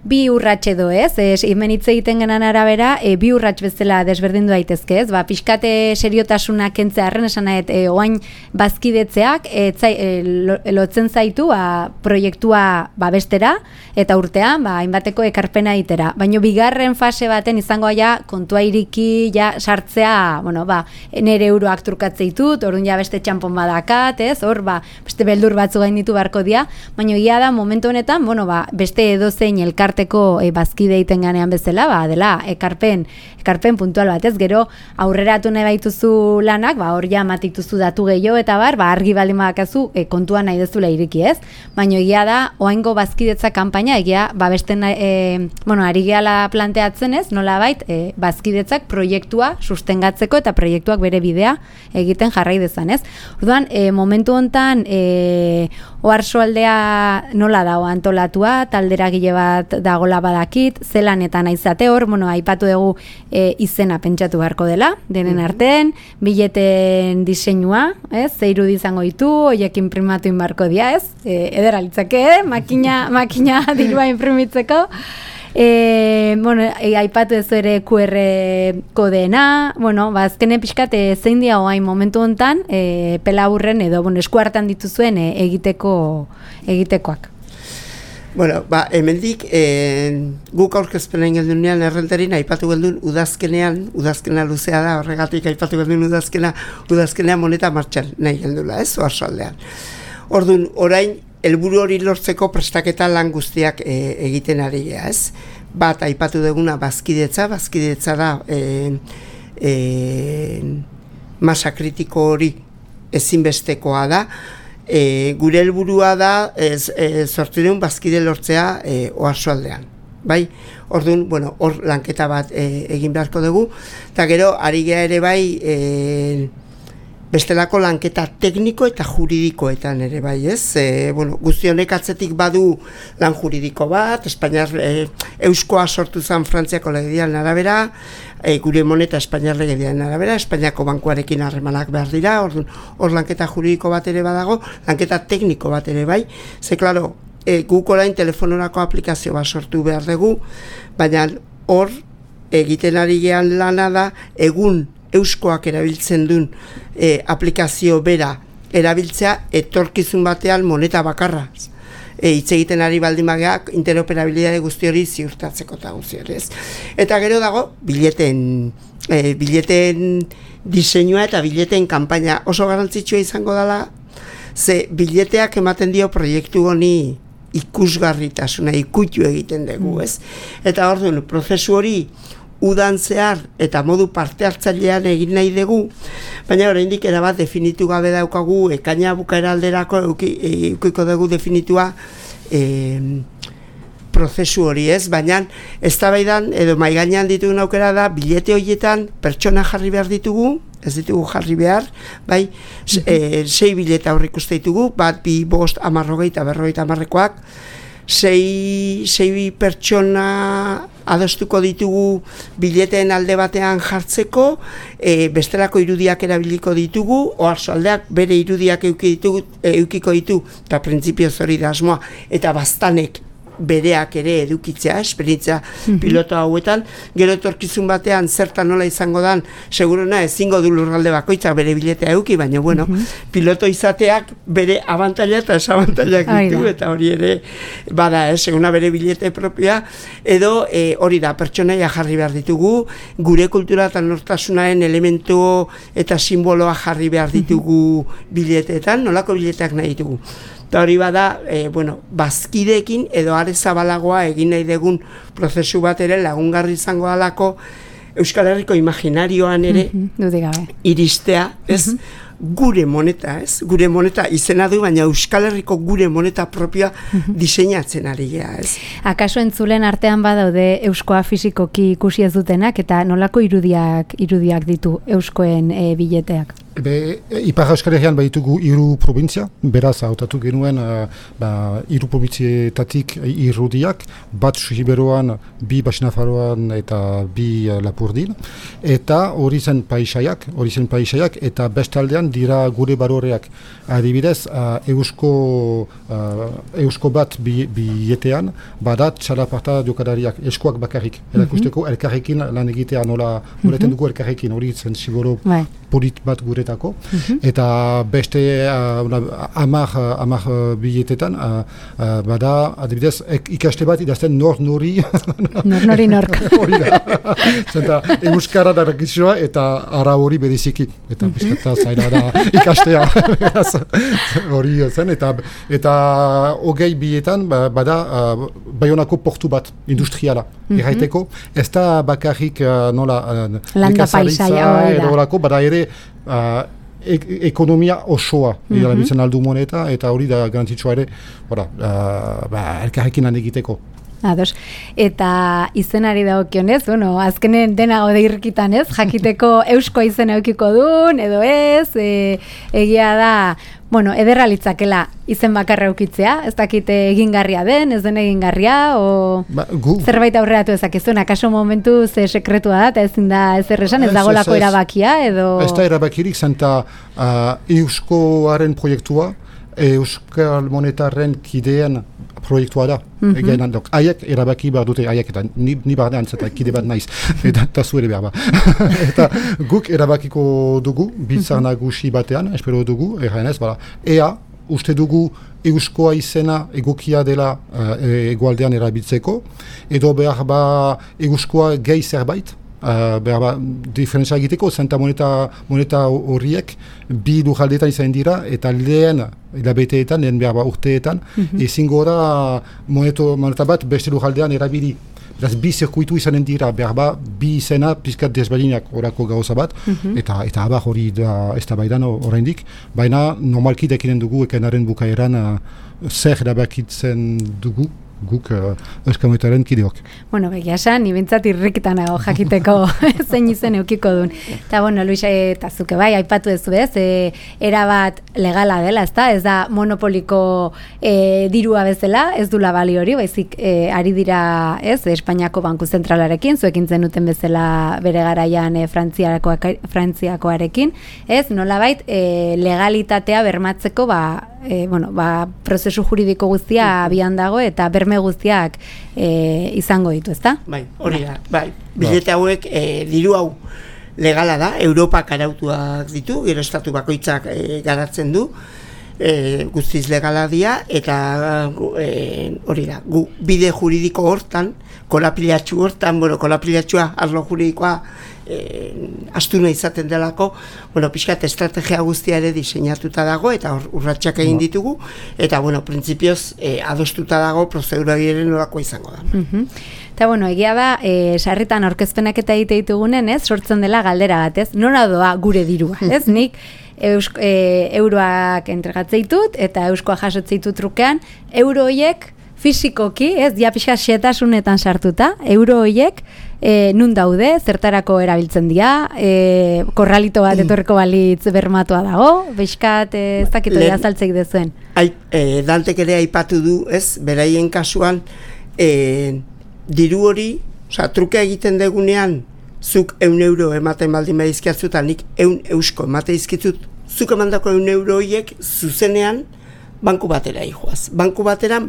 bi urrats edo ez, hemen hitz egiten genan arabera, bi urrats bezala desberdindu daitezke, ez? Pixkate seriotasuna kentzearren esan nahet, oain bazkidetzeak lotzen zaitu proiektua bestera, eta urtean, hainbateko ekarpena itera. Baina bigarren fase baten izango ja kontua iriki, ja sartzea, nere euroak trukatze ditut, orduan ja beste txampon badakat, ez? Hor, beste beldur batzu gainditu beharko dira, baina ia da momentu honetan, beste edozein elkarteko bazkide egiten ganean bezala, dela ekarpen puntual bat, ez? Gero aurreratu nahi baituzu lanak, hor ja matituzu datu gehiago eta argi baldin badakazu kontua nahi dezula iriki, ez? Baina egia da, oaingo bazkidetza kanpaina, egia, besten, ari gehala planteatzen ez, nolabait, bazkidetzak proiektua sustengatzeko eta proiektuak bere bidea egiten jarrai dezan, ez? Orduan, momentu hontan, oarsoaldea nola dago antolatua, talderagile bat dagola badakit, zelanetan aizate hor, aipatu dugu izena pentsatu beharko dela, denen artean, bileten diseinua, ez? Ze irudi izango ditu, horiek imprimatu inbarko dia, ez? Edera litzake, makina dirua imprimitzeko. Aipatu ez ere QR kodeena, azkenen pixkat zein dia oain momentu hontan pela aurren edo eskuartan dituzuen egitekoak. Hemendik guk aurkezpenen geldunean errenterin aipatu geldun udazkena luzea da, horregatik aipatu geldun udazkena moneta martxan nahi geldula, ez, oarsoaldean. Orduan, orain, helburu hori lortzeko prestaketa lan guztiak egiten ari gea, ez? Bat, aipatu duguna bazkidetza da masa kritiko hori ezinbestekoa da. Gure helburua da zortzireun bazkide lortzea oarsoaldean. Bai, orduan, hor lanketa bat egin beharko dugu, eta gero, ari gea ere bai, bestelako lanketa tekniko eta juridikoetan ere bai, ez? Guzti honek atzetik badu lan juridiko bat, Espainiar euskoa sortu zen Frantziako legedian arabera, gure moneta Espainiar legedian arabera, Espainiako bankuarekin harremanak behar dira, hor lanketa juridiko bat ere badago, lanketa tekniko bat ere bai, ze, klaro, guk orain telefonorako aplikazio bat sortu behar dugu, baina hor egiten ari gean lana da, egun euskoak erabiltzen duen aplikazio bera erabiltzea etorkizun batean moneta bakarra. Hitz egiten ari baldin bageak interoperabilitate guzti hori ziurtatzeko eta guzti hori, ez? Eta gero dago bileten diseinua eta bileten kanpaina oso garrantzitsua izango dela, ze bileteak ematen dio proiektu honi ikusgarritasuna, ikutu egiten dugu, ez? Eta orduan, prozesu hori udan zehar eta modu parte hartzailean egin nahi dugu, baina oraindik erabat definitu gabe daukagu, ekaina bukaera alderako eukiko dugu definitua prozesu hori, ez? Baina eztabaidan edo maigainean ditugun aukera da, bilete horietan pertsona jarri behar ditugu, ez ditugu jarri behar, bai, 6 bileta aurrik uste ditugu, bat, 2, 5, 10, 20, 40, 50-koak, 6 pertsona adostuko ditugu bileteen alde batean jartzeko, bestelako irudiak erabiliko ditugu, oarsoaldeak bere irudiak eukiko ditu, eta printzipioz hori da asmoa, eta baztanek bereak ere edukitzea, esperientzia piloto hauetan, gero etorkizun batean zertan nola izango dan, seguruna ezingo du lurralde bakoitzak bere biletea eduki, baina bueno, piloto izateak bere abantaila eta desabantailak ditu, eta hori ere bada, seguna bere bilete propioa, edo hori da, pertsonaia jarri behar ditugu, gure kultura eta nortasunaren elementu eta simboloa jarri behar ditugu bileteetan, nolako bileteak nahi ditugu. Eta hori bada, bazkideekin edo are zabalagoa egin nahi dugun prozesu bat ere lagungarri izango dalako Euskal Herriko imaginarioan ere iristea, ez? Gure moneta, ez? Gure moneta izena du, baina Euskal Herriko gure moneta propioa diseinatzen ari gea, ez? Akaso entzulen artean badaude euskoa fisikoki ikusi ez dutenak, eta nolako irudiak ditu euskoen bileteak? Ipar Euskal Herrian baditugu 3 provintzia, beraz hautatu genuen 3 probintzietatik irudiak, bat Siberuan, 2 Baxinafarroan eta 2 Lapurdin, eta hori zen paisaiak, eta bestaldean dira gure baroreak. Adibidez, eusko bat biletean, badat txalaparta jokalariak, eskoak bakarrik, erakusteko elkarrekin lan egitea nola dugu elkarrekin, hori zen ziboro polit bat guretako, eta beste 10 biletetan, bada, adibidez, ikaste bat idazten nori nork. Hori da. Zenta, euskara darakizua eta ara hori bereziki, eta bizkata zaila da ikastea. Hori zen, eta hogei bietan bada Baionako portu bat industriala erraiteko, ez da bakarrik landa paisaia edo horako, bada ere ekonomia osoa erabiltzen aldu moneta, eta hori da garantitzua ere elkarrekin lan egiteko. Ados. Eta izenari dagokionez, azkenen dena gaude irrikitan, ez? Jakiteko eusko izena eukiko duen, edo ez, egia da, ederra litzakela izen bakarra eukitzea, ez dakite egingarria den, ez den egingarria, zerbait aurreratu ezakezun, akaso momentu ze sekretua da, eta ezin da ezer esan, ez dagolako erabakia, edo... Ez da erabakirik, zenta euskoaren proiektua, Euskal Monetarren kideen proiektua da. Haiek erabaki behar dute, haiek eta ni barnean zeta kide bat naiz, eta zuere behar ba. Eta guk erabakiko dugu, biltzar nagusi batean, espero dugu, erraenez, ea, uste dugu euskoa izena egokia dela egoaldean erabiltzeko, edo behar ba euskoa gehi zerbait, diferentzia egiteko, zenta moneta horiek bi lujaldeetan izan dira, eta lehen hilabeteetan, lehen behar urteetan, ezingo da moneta bat beste lujaldean erabili. Beraz, bi zirkuitu izanen dira, behar bi izena pizkat desberdinak orako gauza bat, eta abar hori da ez da baidan oraindik, baina normalki dekinen dugu ekenaren bukaeran zer erabakitzen dugu, guk Euskal Monetaren kideok. Begia esan, ibintzat irrikitan nago jakiteko zein izen eukiko duen. Eta, Luis, eta zuke bai, aipatu ez ez, erabat legala dela, ez da monopoliko dirua bezala, ez dula bali hori, baizik ari dira, ez, Espainiako Banku Zentralarekin, zuekin zenuten bezala bere garaian Frantziakoarekin, ez, nolabait legalitatea bermatzeko, prozesu juridiko guztia abian dago eta berme guztiak izango ditu, ezta? Bai, hori da, bai. Bilete hauek, diru hau legala da, Europak arautuak ditu, gero estatu bakoitzak garatzen du, guztiz legala dira, eta hori da, bide juridiko hortan, kolapilatxu hortan, kolapilatxua arlo juridikoa astuna izaten delako, pixkat estrategia guztia ere diseinatuta dago, eta urratxak egin ditugu, eta, printzipioz, adostuta dago, prozedura giren nolako izango da. Eta, egia da, sarritan aurkezpenak eta egite ditugunen, ez, sortzen dela galdera bat, ez, nora doa gure dirua, ez, nik, euroak entregatzeitut, eta euskoa jasotzeitut trukean, euro horiek, fisikoki, ez, pixka xetasunetan sartuta, euro horiek, nun daude, zertarako erabiltzen dira, korralito bat etorreko balitz bermatua dago, beiskat ez dakitu azaltzeik dezuen. Dantek ere aipatu du, ez, beraien kasuan, diru hori, truke egiten degunean, zuk 1 euro ematen baldin badizkiatzuta, nik 1 eusko emate izkitzut, zuk emandako 1 euro horiek zuzenean banku batera ijoaz. Banku batera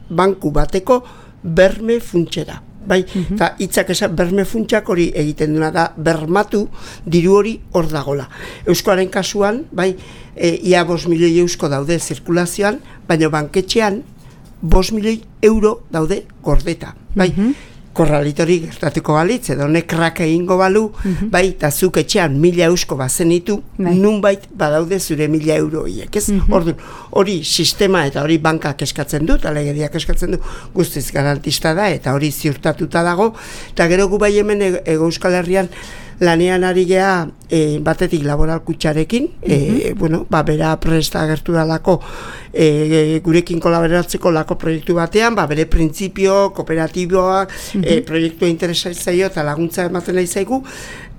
banku bateko berme funtsera. Bai, eta hitzak esan berme funtsak hori egiten duna da bermatu diru hori hor dagola. Euskoaren kasuan, bai, ia 5 milioi eusko daude zirkulazioan, baina banketxean 5 milioi euro daude gordeta. Bai, korralitori gertatuko balitz, edo honek krak egingo balu, bai, eta zuk etxean 1000 eusko bazenitu, nunbait badaude zure 1000 euro horiek, ez? Orduan, hori sistema eta hori bankak eskatzen du, eta legediak eskatzen du, guztiz garantista da, eta hori ziurtatuta dago, eta gero gu bai hemen Euskal Herrian lanean ari gea batetik laboral kutxarekin, bera presta agertu dalako gurekin kolaboratzeko lako proiektu batean, bere printzipio, kooperatiboak, proiektua interesatzea eta laguntza ematen nahi zaigu,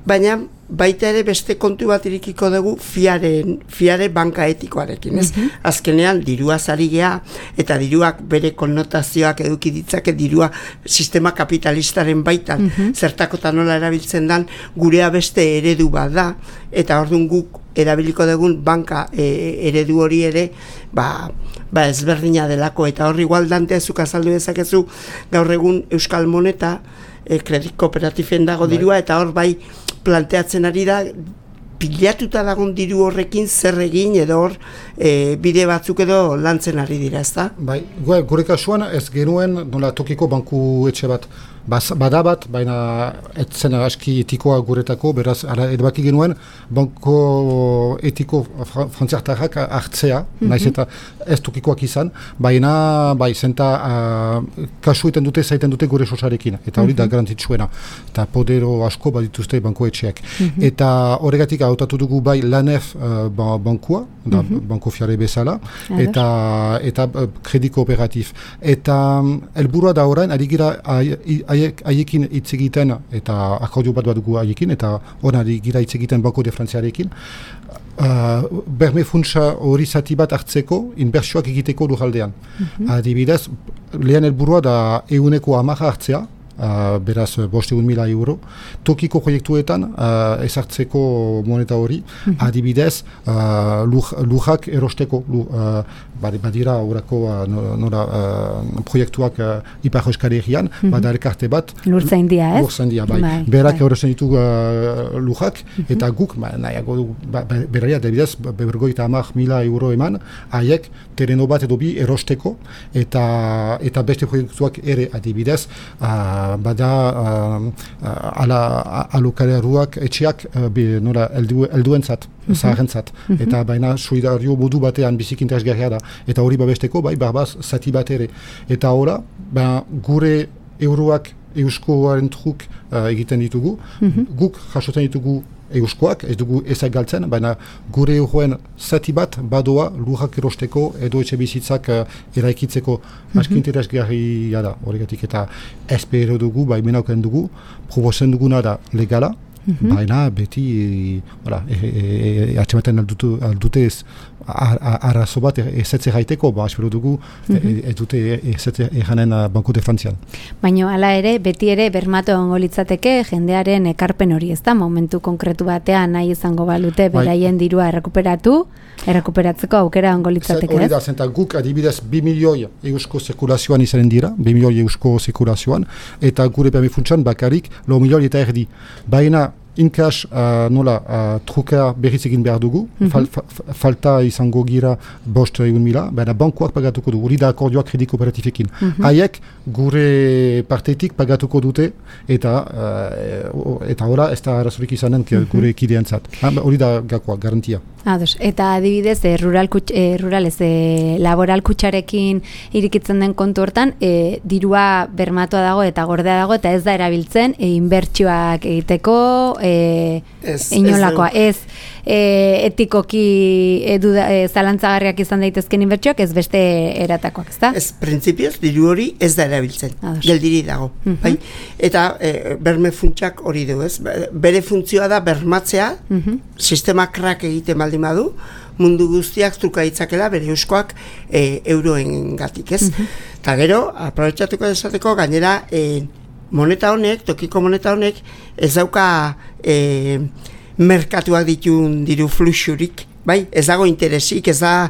baina baita ere beste kontu bat irikiko dugu fiare banka etikoarekin, ez? Azkenean dirua zari gea, eta diruak bere konnotazioak eduki ditzake dirua sistema kapitalistaren baitan, zertakotan nola erabiltzen dan, gurea beste eredu bat da, eta orduan guk erabiliko dugun banka eredu hori ere, ezberdina delako, eta hor igual Dante zuk azaldu dezakezu gaur egun Euskal Moneta, kredit kooperatifen dago dirua, eta hor bai planteatzen ari da, pilatuta dagoen diru horrekin zer egin edo hor bide batzuk edo lantzen ari dira, ez da? Bai, gure kasuan ez genuen nola tokiko banku etxe bat. Badabat, baina etzen aski etikoa guretako, beraz, edabaki genuen, banko etiko frantziartarrak hartzea, naiz eta ez tokikoak izan, baina, zenta kasu zaiten dute gure sosarekin, eta hori da garantitzuena, eta podero asko badituzte banko etxeak. Eta horregatik hautatu dugu bai LANEF bankua, banko fiare bezala, eta kredit kooperatif. Eta helburua da orain, ari gira haiekin hitz egiten, eta akordio bat dugu haiekin, eta hori gira hitz egiten Banco de Frantziarekin, berme funtsa hori zati bat hartzeko, inbertsioak egiteko lujaldean. Adibidez, lehen helburua da 110 hartzea, beraz 500.000 euro, tokiko proiektuetan ezartzeko moneta hori, adibidez lujak erosteko, badira horako proiektuak Ipar Euskal Herrian, bada elkarte bat, Lurtzaindia, ez? Lurtzaindia, bai. Berak erosten ditu lujak, eta guk, nahiago du, beraia, adibidez, 50.000 euro eman, haiek terreno bat edo bi erosteko, eta beste proiektuak ere, adibidez, bada alokaleruak etxeak nola helduentzat, zaharrentzat, eta baina solidario modu batean bizik interesgarria da, eta hori babesteko bai barbaz zati bat ere, eta hola gure euroak euskoaren truk egiten ditugu, guk jasotzen ditugu euskoak, ez dugu ezak galtzen, baina gure euroen zati bat badoa lurrak erosteko edo etxe bizitzak eraikitzeko aski interesgarria da, horregatik, eta espero dugu, menauken dugu, proposen duguna da legala, baina beti atxematen aldute arazo bat ezetze gaiteko, espero dugu ez dute ezetze eranen Banco de Frantzian. Baina hala ere, beti ere bermatu egongo litzateke jendearen ekarpen hori, ez da? Momentu konkretu batean nahi izango balute beraien dirua errekuperatzeko aukera egongo litzateke, ez? Hori da, zenta guk adibidez 2 milioi eusko zirkulazioan izanen dira, 2 milioi eusko zirkulazioan, eta gure permifuntsan bakarik 4 milioi eta erdi. Baina inkas trukea berriz egin behar dugu, falta izango gira 500.000, baina bankuak pagatuko du, hori da akordioak kredit kooperatifekin. Haiek gure partetik pagatuko dute, eta hola ez da arazorik izanen gure kideentzat. Hori da gakoa, garantia. Eta adibidez, laboral kutxarekin irikitzen den kontu hortan, dirua bermatua dago eta gordea dago, eta ez da erabiltzen inbertsioak egiteko, inolakoa, ez etikoki zalantzagarriak izan daitezken inbertsioak, ez beste eratakoak, ez da? Ez, printzipioz, diru hori ez da erabiltzen, geldiri dago. Eta berme funtsak hori du, ez? Bere funtzioa da bermatzea, sistema krak egiten baldin badu, mundu guztiak truka ditzakela bere euskoak euroen gatik, ez? Eta gero, aprobetxatuko desateko, gainera, moneta honek, tokiko moneta honek, ez dauka merkatuak ditun diru fluxurik, Bai, ez dago interesik, ez da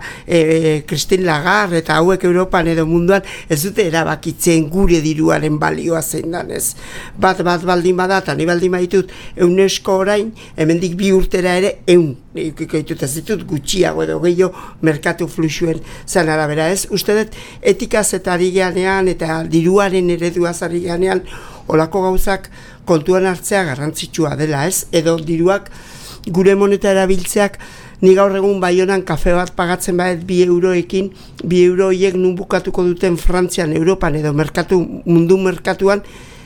Christine Lagarde eta hauek Europan edo munduan ez dute erabakitzen gure diruaren balioa zein dan, ez. Bat baldin bada, eta ni baldin baditut UNESCO orain, hemendik 2 urtera ere 100 ikikoitut, ez ditut gutxiago edo gehiago merkatu fluxuen zan arabera, ez. Uste dut etikaz eta ari ganean eta diruaren ereduaz ari ganean olako gauzak kontuan hartzea garrantzitsua dela, ez. Edo diruak gure moneta erabiltzeak. Ni gaur egun Baionan kafe bat pagatzen badet 2 euroekin, 2 euro horiek nun bukatuko duten Frantzian, Europan edo mundu merkatuan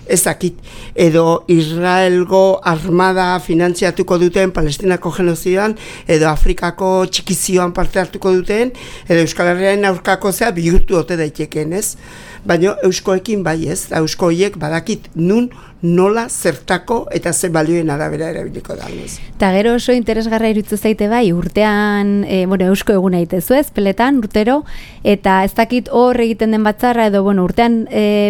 ez dakit. Edo Israelgo armada finantziatuko duten Palestinako genozidan, edo Afrikako txikizioan parte hartuko duten, edo Euskal Herriaren aurkako zea bihurtu ote daiteken, ez? Baina euskoekin bai ez, eusko horiek badakit nun, nola, zertako eta ze balioen arabera erabiliko da. Eta gero oso interesgarra iruditzen zaite bai, urtean, eusko eguna itezu ez, peletan, urtero, eta ez dakit hor egiten den batzarra, edo urtean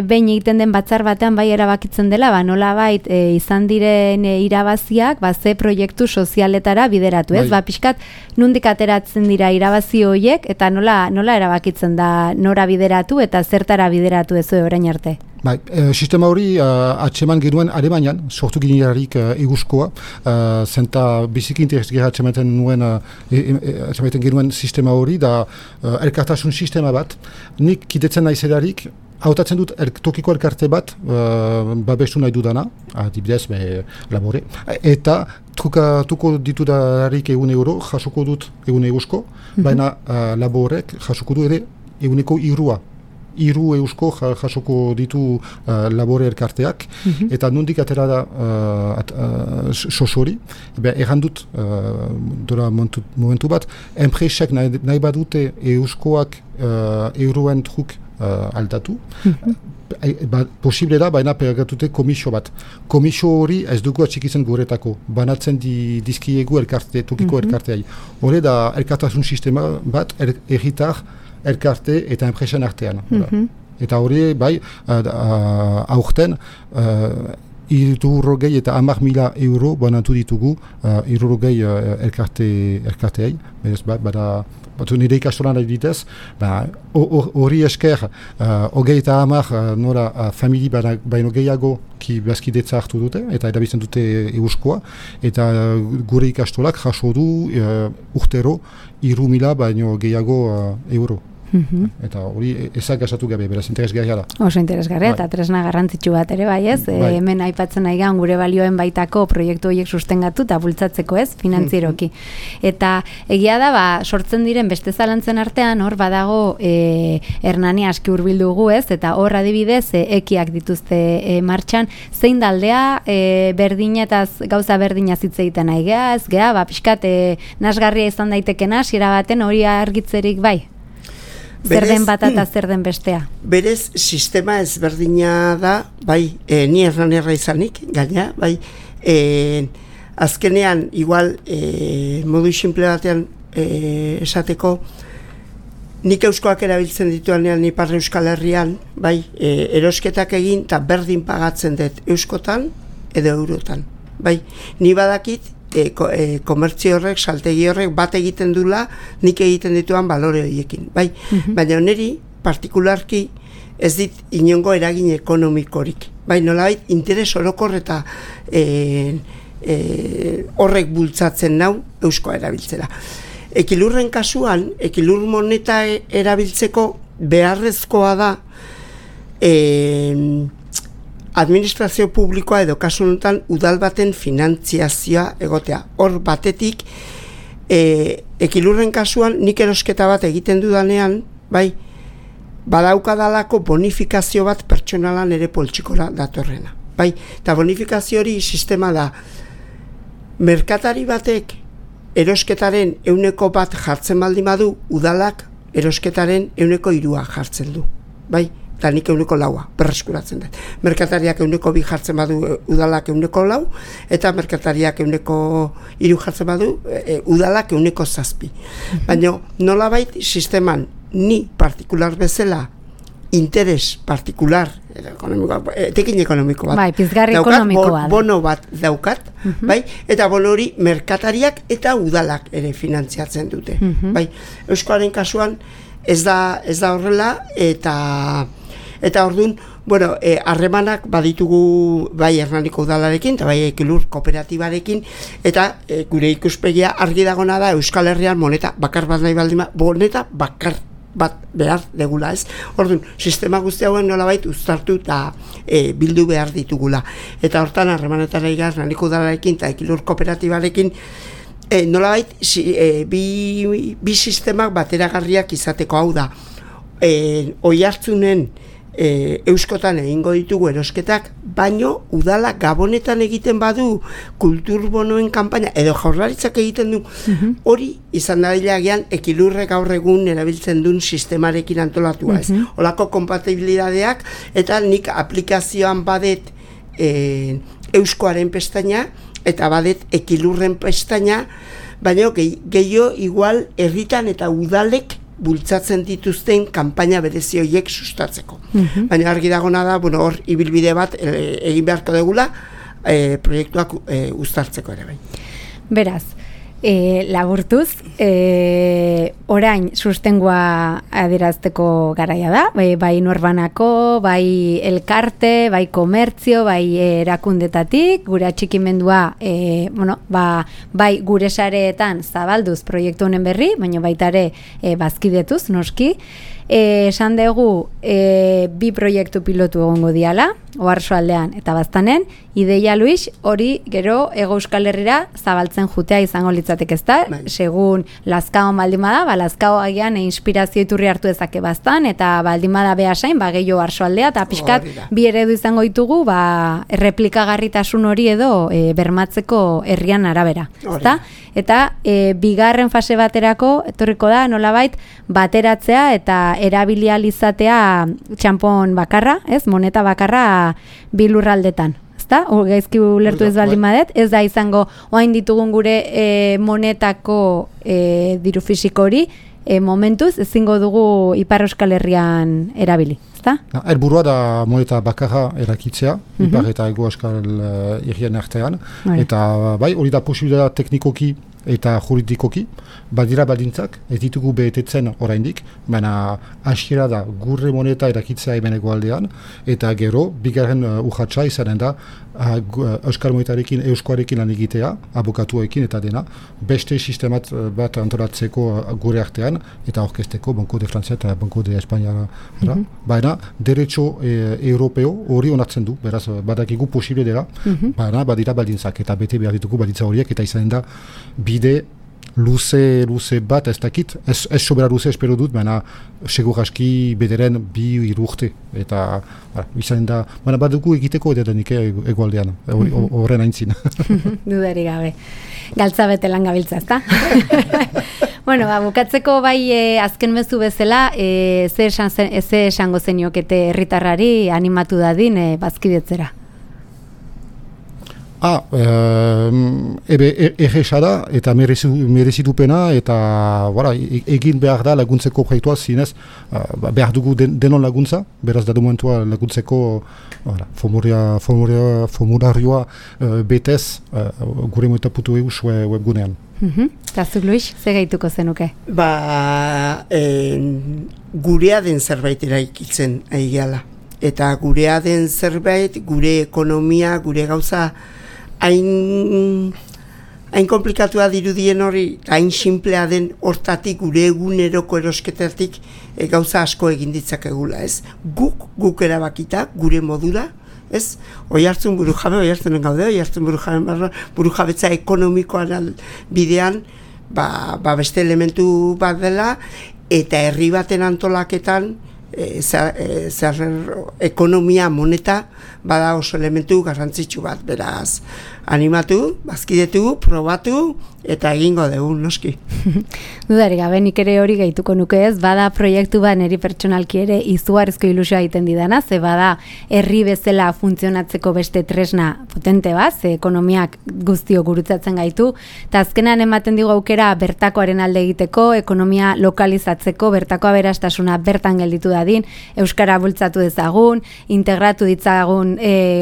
behin egiten den batzar batean bai erabakitzen dela, nola bait izan diren irabaziak, ze proiektu sozialetara bideratu ez, pixkat nundik ateratzen dira irabazi horiek, eta nola erabakitzen da nora bideratu eta zertara bideratu ez orain arte. Bai, sistema hori atseman genuen Alemanian, sortu ginearik eguzkoa, zenta biziki interesgarria atxematen genuen sistema hori, da elkartasun sistema bat, nik kidetzen naizelarik, hautatzen dut tokiko elkarte bat, babestu nahi dudana, adibidez, labore, eta trukatuko ditudarik €1, jasoko dut egun eguzko, baina laborek jasoko du ere eguneko 3. 3 eusko jasoko ditu labore elkarteak, eta nondik atera da sosori, errandut dora momentu bat, enpresak nahi badute euskoak euroen truk aldatu, posible da, baina pergatute komisio bat. Komisio hori ez dugu atxikitzen guretako, banatzen dizkiegu tokiko elkarteai. Hore da elkartasun sistema bat, erritar, elkarte eta enpresan artean. Eta hori, bai, aurten, 200 eta 10.000 banatu ditugu 200 elkarteei. Bada, nire ikastolan adibidez, hori esker, 30 nora famili baino gehiago ki bazkidetza hartu dute, eta erabiltzen dute euskoa, eta gure ikastolak jaso du urtero 3.000 baino gehiago euro. Eta hori ezak gasatu gabe, beraz interesgarria da. Oso interesgarria, eta tresna garrantzitsu bat ere bai ez, hemen aipatzen nahi gan gure balioen baitako proiektu horiek sustengatu eta bultzatzeko ez, finantzieroki. Eta egia da, sortzen diren beste zalantzen artean, hor badago Hernani aski hurbildugu ez, eta hor adibidez ekiak dituzte martxan, zein daldea berdinetaz, gauza berdinaz hitz egiten nahi geha, ez geha, pixkat nasgarria izan daitekena, hasiera baten hori argitzerik bai? Zer den bat eta zer den bestea? Berez, sistema ezberdina da, bai, ni erranerra izanik, gaina, bai, azkenean, igual, modu simple batean esateko, nik euskoak erabiltzen dituanean Ipar Euskal Herrian, bai, erosketak egin eta berdin pagatzen dut euskotan edo eurotan, bai, ni badakit, komertzio horrek, saltegi horrek bat egiten dula, nik egiten dituan balore horiekin, bai? Baina niri, partikularki, ez dit inongo eragin ekonomikorik, bai? Nolabait, interes orokor eta horrek bultzatzen nau euskoa erabiltzera. Ekilurren kasuan, ekilur moneta erabiltzeko beharrezkoa da administrazio publikoa edo kasu honetan udal baten finantziazioa egotea. Hor batetik, ekilurren kasuan nik erosketa bat egiten dudanean, bai, badaukadalako bonifikazio bat pertsonalan ere poltsikora datorrena. Bai, eta bonifikazio hori sistema da, merkatari batek erosketaren 100% jartzen baldin badu, udalak erosketaren 103 jartzen du. Bai, eta nik 104 berreskuratzen dut. Merkatariak 102 jartzen badu, udalak 104, eta merkatariak 103 jartzen badu, udalak 107. Baina nolabait sisteman ni partikular bezala interes partikular, etekin ekonomiko bat. Bai, pizgarri ekonomiko bat. Bono bat daukat, bai, eta bono hori merkatariak eta udalak ere finantziatzen dute. Bai, Euskoaren kasuan ez da horrela, eta orduan, bueno, harremanak baditugu bai Hernaniko udalarekin, eta bai Ekilur kooperatibarekin, eta gure ikuspegia argi dagona da Euskal Herrian moneta bakar bat nahi baldin, moneta bakar bat behar degula, ez? Orduan, sistema guzti hauen nolabait uztartu eta bildu behar ditugula. Eta hortan harremanetara igaz, Hernaniko udalarekin eta Ekilur kooperatibarekin nolabait bi sistemak bateragarriak izateko, hau da, Oiartzunen Euskotan egingo ditugu erosketak, baino udala Gabonetan egiten badu kulturbonoen kanpaina, edo Jaurlaritzak egiten du, hori izan dailagian Ekilurrek gaur egun erabiltzen duen sistemarekin antolatua, ez? Olako kompatibilidadeak, eta nik aplikazioan badet Euskoaren pestaina, eta badet Ekilurren pestaina, baina gehiago igual herritan eta udalek bultzatzen dituzten kanpaina berezi horiek sustatzeko. Baina argi dagona da, bueno, hor ibilbide bat egin beharko degula proiektuak uztartzeko ere bai. Beraz, laburtuz, orain sustengua adierazteko garaia da, bai norbanako, bai elkarte, bai komertzio, bai erakundetatik, gure atxikimendua, bai gure sareetan zabalduz proiektu honen berri, baina baita ere bazkidetuz, noski. Esan dugu bi proiektu pilotu egongo diala, Oarsoaldean eta Baztanen, ideia Luis, hori gero Hego Euskal Herrira zabaltzen jutea izango litzateke, ezta? Segun Lazkaon baldin bada, Lazkao agian inspirazio iturri hartu dezake Baztan, eta baldin bada behasain, gehiago Oarsoaldea, eta pixkat bi eredu izango ditugu, erreplikagarritasun hori edo bermatzeko herrian arabera, ezta? Eta bigarren fase baterako etorriko da nolabait bateratzea eta erabilializatea txanpon bakarra, ez? Moneta bakarra bi lurraldetan, ezta? Gaizki ulertu ez baldin badet, ez da izango orain ditugun gure monetako diru fisiko hori momentuz ezingo dugu Ipar Euskal Herrian erabili, ezta? Helburua da moneta bakarra erakitzea, Ipar eta Hego Euskal Herrian artean, eta bai, hori da posibilitatea teknikoki eta juridikoki, badira baldintzak, ez ditugu betetzen oraindik, baina hasiera da gure moneta erakitzea hemen hegoaldean, eta gero, bigarren urratsa izanen da, Euskal monetarekin, Euskoarekin lan egitea, abokatuekin eta dena, beste sistemat bat antolatzeko gure artean, eta orkesteko Banco de Francia eta Banco de España. Baina, derecho europeo hori onartzen du, beraz, badakigu posible dela, baina badira baldintzak, eta bete behar ditugu baldintza horiek, eta izanen da, bide luze bat ez dakit, ez sobera luze espero dut, baina segur aski bederen 2-3 urte, eta izan da, baina badugu egiteko edanik egualdean, horren aintzin. Dudari gabe, galtza bete lan gabiltza, ezta? Bueno, bukatzeko bai azken mezu bezala, ze esango zeniokete herritarrari animatu dadin bazkidetzera? Erresa da, eta merezitupena, eta egin behar da laguntzeko proiektua zinez, behar dugu denon laguntza, beraz da momentua laguntzeko formularioa betez gure moeta.eu webgunean. Eta zuk, Luis, ze gaituko zenuke? Gurea den zerbait eraikitzen aigeala. Eta gurea den zerbait, gure ekonomia, gure gauza, hain komplikatua dirudien hori, hain simplea den hortatik, gure eguneroko erosketatik gauza asko egin ditzakegula, ez? Guk erabakita, gure modura, ez? Oiartzun oiartzunen gaude, oiartzun burujabetza ekonomikoan bidean, beste elementu bat dela, eta herri baten antolaketan, ekonomia moneta bada oso elementu garrantzitsu bat, beraz animatu, bazkidetu, probatu eta egingo dugu, noski. Dudari gabe, nik ere hori gehituko nuke ez, bada proiektu bat niri pertsonalki ere izugarrizko ilusioa egiten didana, ze bada herri bezala funtzionatzeko beste tresna potente bat, ze ekonomiak guztio gurutzatzen gaitu, eta azkenan ematen digu aukera bertakoaren alde egiteko, ekonomia lokalizatzeko, bertako aberastasuna bertan gelditu da dadin, euskara bultzatu dezagun, integratu ditzagun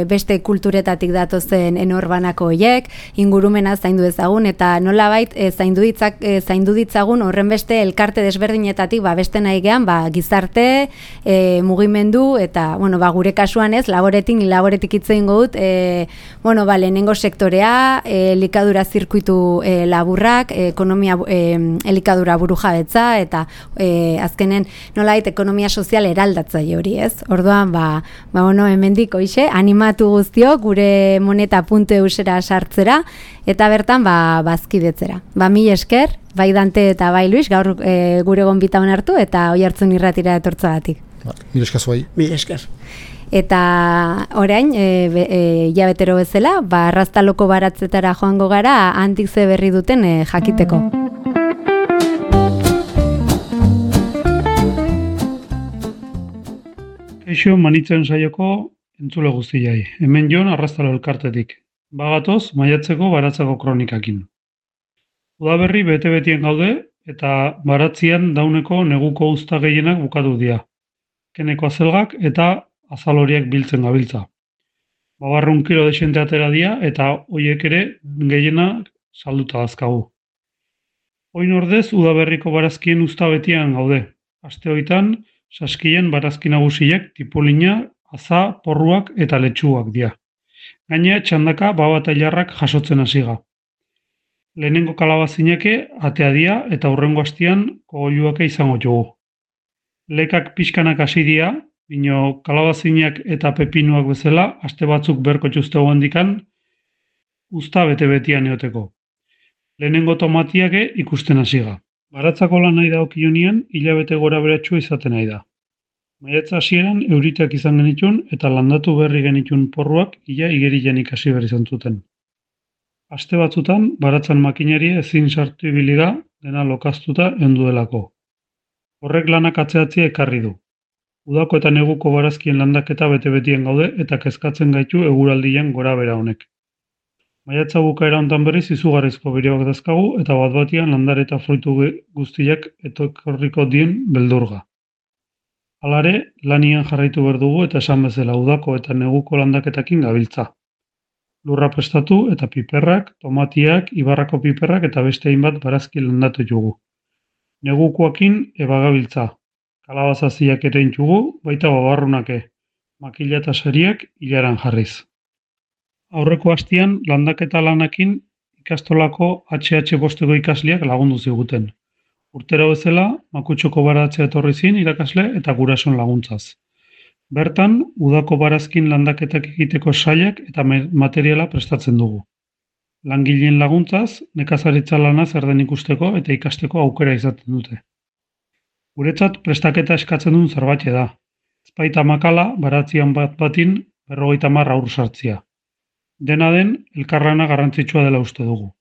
beste kulturetatik datozen enorbanako hoiek, ingurumena zaindu dezagun eta nolabait zaindu ditzagun horren beste elkarte desberdinetatik beste nahi gean gizarte, mugimendu eta gure kasuan ez, laboretik hitz egingo dut, lehenengo sektorea, elikadura zirkuitu laburrak, ekonomia elikadura burujabetza eta azkenen nolabait ekonomia sozial eraldatzaile hori, ez? Orduan, hemendik hoixe, animatu guztiok gure moneta.eusera sartzera eta bertan bazkidetzera. Mil esker, bai Dante eta bai Luis, gaur gure gonbita hartu eta Oiartzun irratira etortzagatik. Mil esker zuai. Mil esker. Eta orain, jabetero bezala, arraztaloko baratzetara joango gara, handik ze berri duten jakiteko. Kaixo manitzen saioko entzule guztiai. Hemen Jon Arraztalo elkartetik. Bagatoz, maiatzeko baratzeko kronikakin. Udaberri bete-betien gaude eta baratzian dauneko neguko uzta gehienak bukatu dira. Keneko azelgak eta azal horiek biltzen gabiltza. 100 kilo desente atera dira eta hoiek ere gehienak salduta dazkagu. Oin ordez, udaberriko barazkien uzta betian gaude. Aste hoitan, saskien barazki nagusiek tipolina, aza, porruak eta letxuak dira. Gainea txandaka baba eta jarrak jasotzen hasiga. Lehenengo kalabazineke atea dira eta hurrengo hastian kogoluake izango dugu. Lekak pixkanak hasi dira, bino kalabazinak eta pepinuak bezala, aste batzuk berko txuztego handikan, uzta bete-betian eoteko. Lehenengo tomatiake ikusten hasiga. Baratzako lan nahi da okionien, hilabete gora beratxua izaten nahi da. Maiatza hasieran euriteak izan genitun eta landatu berri genitun porruak ia igerian ikasi berri zantzuten. Aste batzutan, baratzan makinari ezin sartu ibiliga dena lokaztuta eundu delako. Horrek lanak atzeatzia ekarri du. Udako eta neguko barazkien landaketa bete-betien gaude eta kezkatzen gaitu eguraldian gora bera honek. Maiatza bukaera hontan berriz izugarrizko beroak dazkagu eta bat-batian landare eta fruitu guztiak etorriko dien beldurga. Halare, lanian jarraitu behar dugu eta esan bezala udako eta neguko landaketakin gabiltza. Lurra prestatu eta piperrak, tomatiak, ibarrako piperrak eta beste hainbat barazki landatu jugu. Negukoakin ebagabiltza. Kalabazaziak ere intxugu, baita babarrunake, makila eta sariak hilaran jarriz. Aurreko hastian, landaketa lanakin ikastolako HH bosteko ikasleak lagundu ziguten. Urtero bezala, Makutxoko baratzea etorri zin irakasle eta gurason laguntzaz. Bertan, udako barazkin landaketak egiteko sailak eta materiala prestatzen dugu. Langileen laguntzaz, nekazaritza lana zer den ikusteko eta ikasteko aukera izaten dute. Guretzat prestaketa eskatzen duen zerbait da. Ezpaita makala baratzian bat-batin 50 aur sartzia. Dena den, elkarlana garrantzitsua dela uste dugu.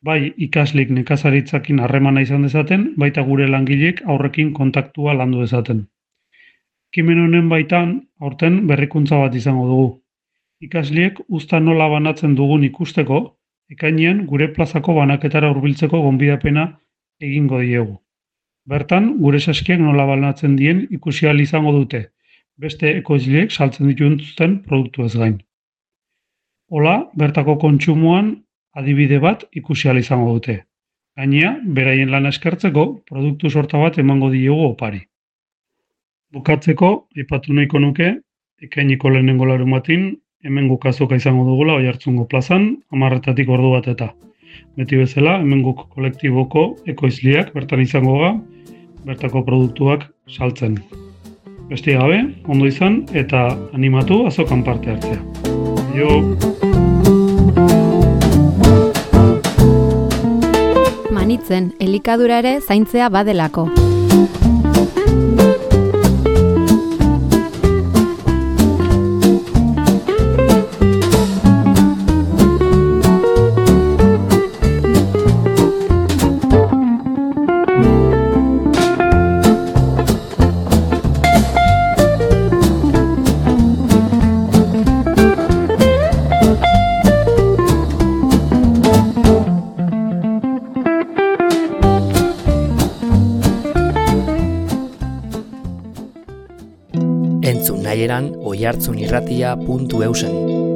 Bai ikaslik nekazaritzakin harremana izan dezaten, baita gure langileek aurrekin kontaktua landu dezaten. Ekimen honen baitan, aurten berrikuntza bat izango dugu. Ikasliek uzta nola banatzen dugun ikusteko, ekainean gure plazako banaketara hurbiltzeko gonbidapena egingo diegu. Bertan, gure saskiak nola banatzen dien ikusi ahal izango dute, beste ekoizleek saltzen dituzten produktu ez gain. Hola, bertako kontsumoan adibide bat ikusi ahal izango dute. Gainea, beraien lana eskertzeko, produktu sorta bat emango diegu opari. Bukatzeko, aipatu nahiko nuke, ekainiko lehenengo larumatin, hemen gukazoka izango dugula Oiartzungo plazan, 10:00 ordu bat eta. Beti bezala, hemen guk kolektiboko ekoizleak bertan izango ga, bertako produktuak saltzen. Beste gabe, ondo izan eta animatu azokan parte hartzea. Jo! Manitzen, elikadura ere zaintzea badelako. Entzun nahieran oihartzunirratia.eusen.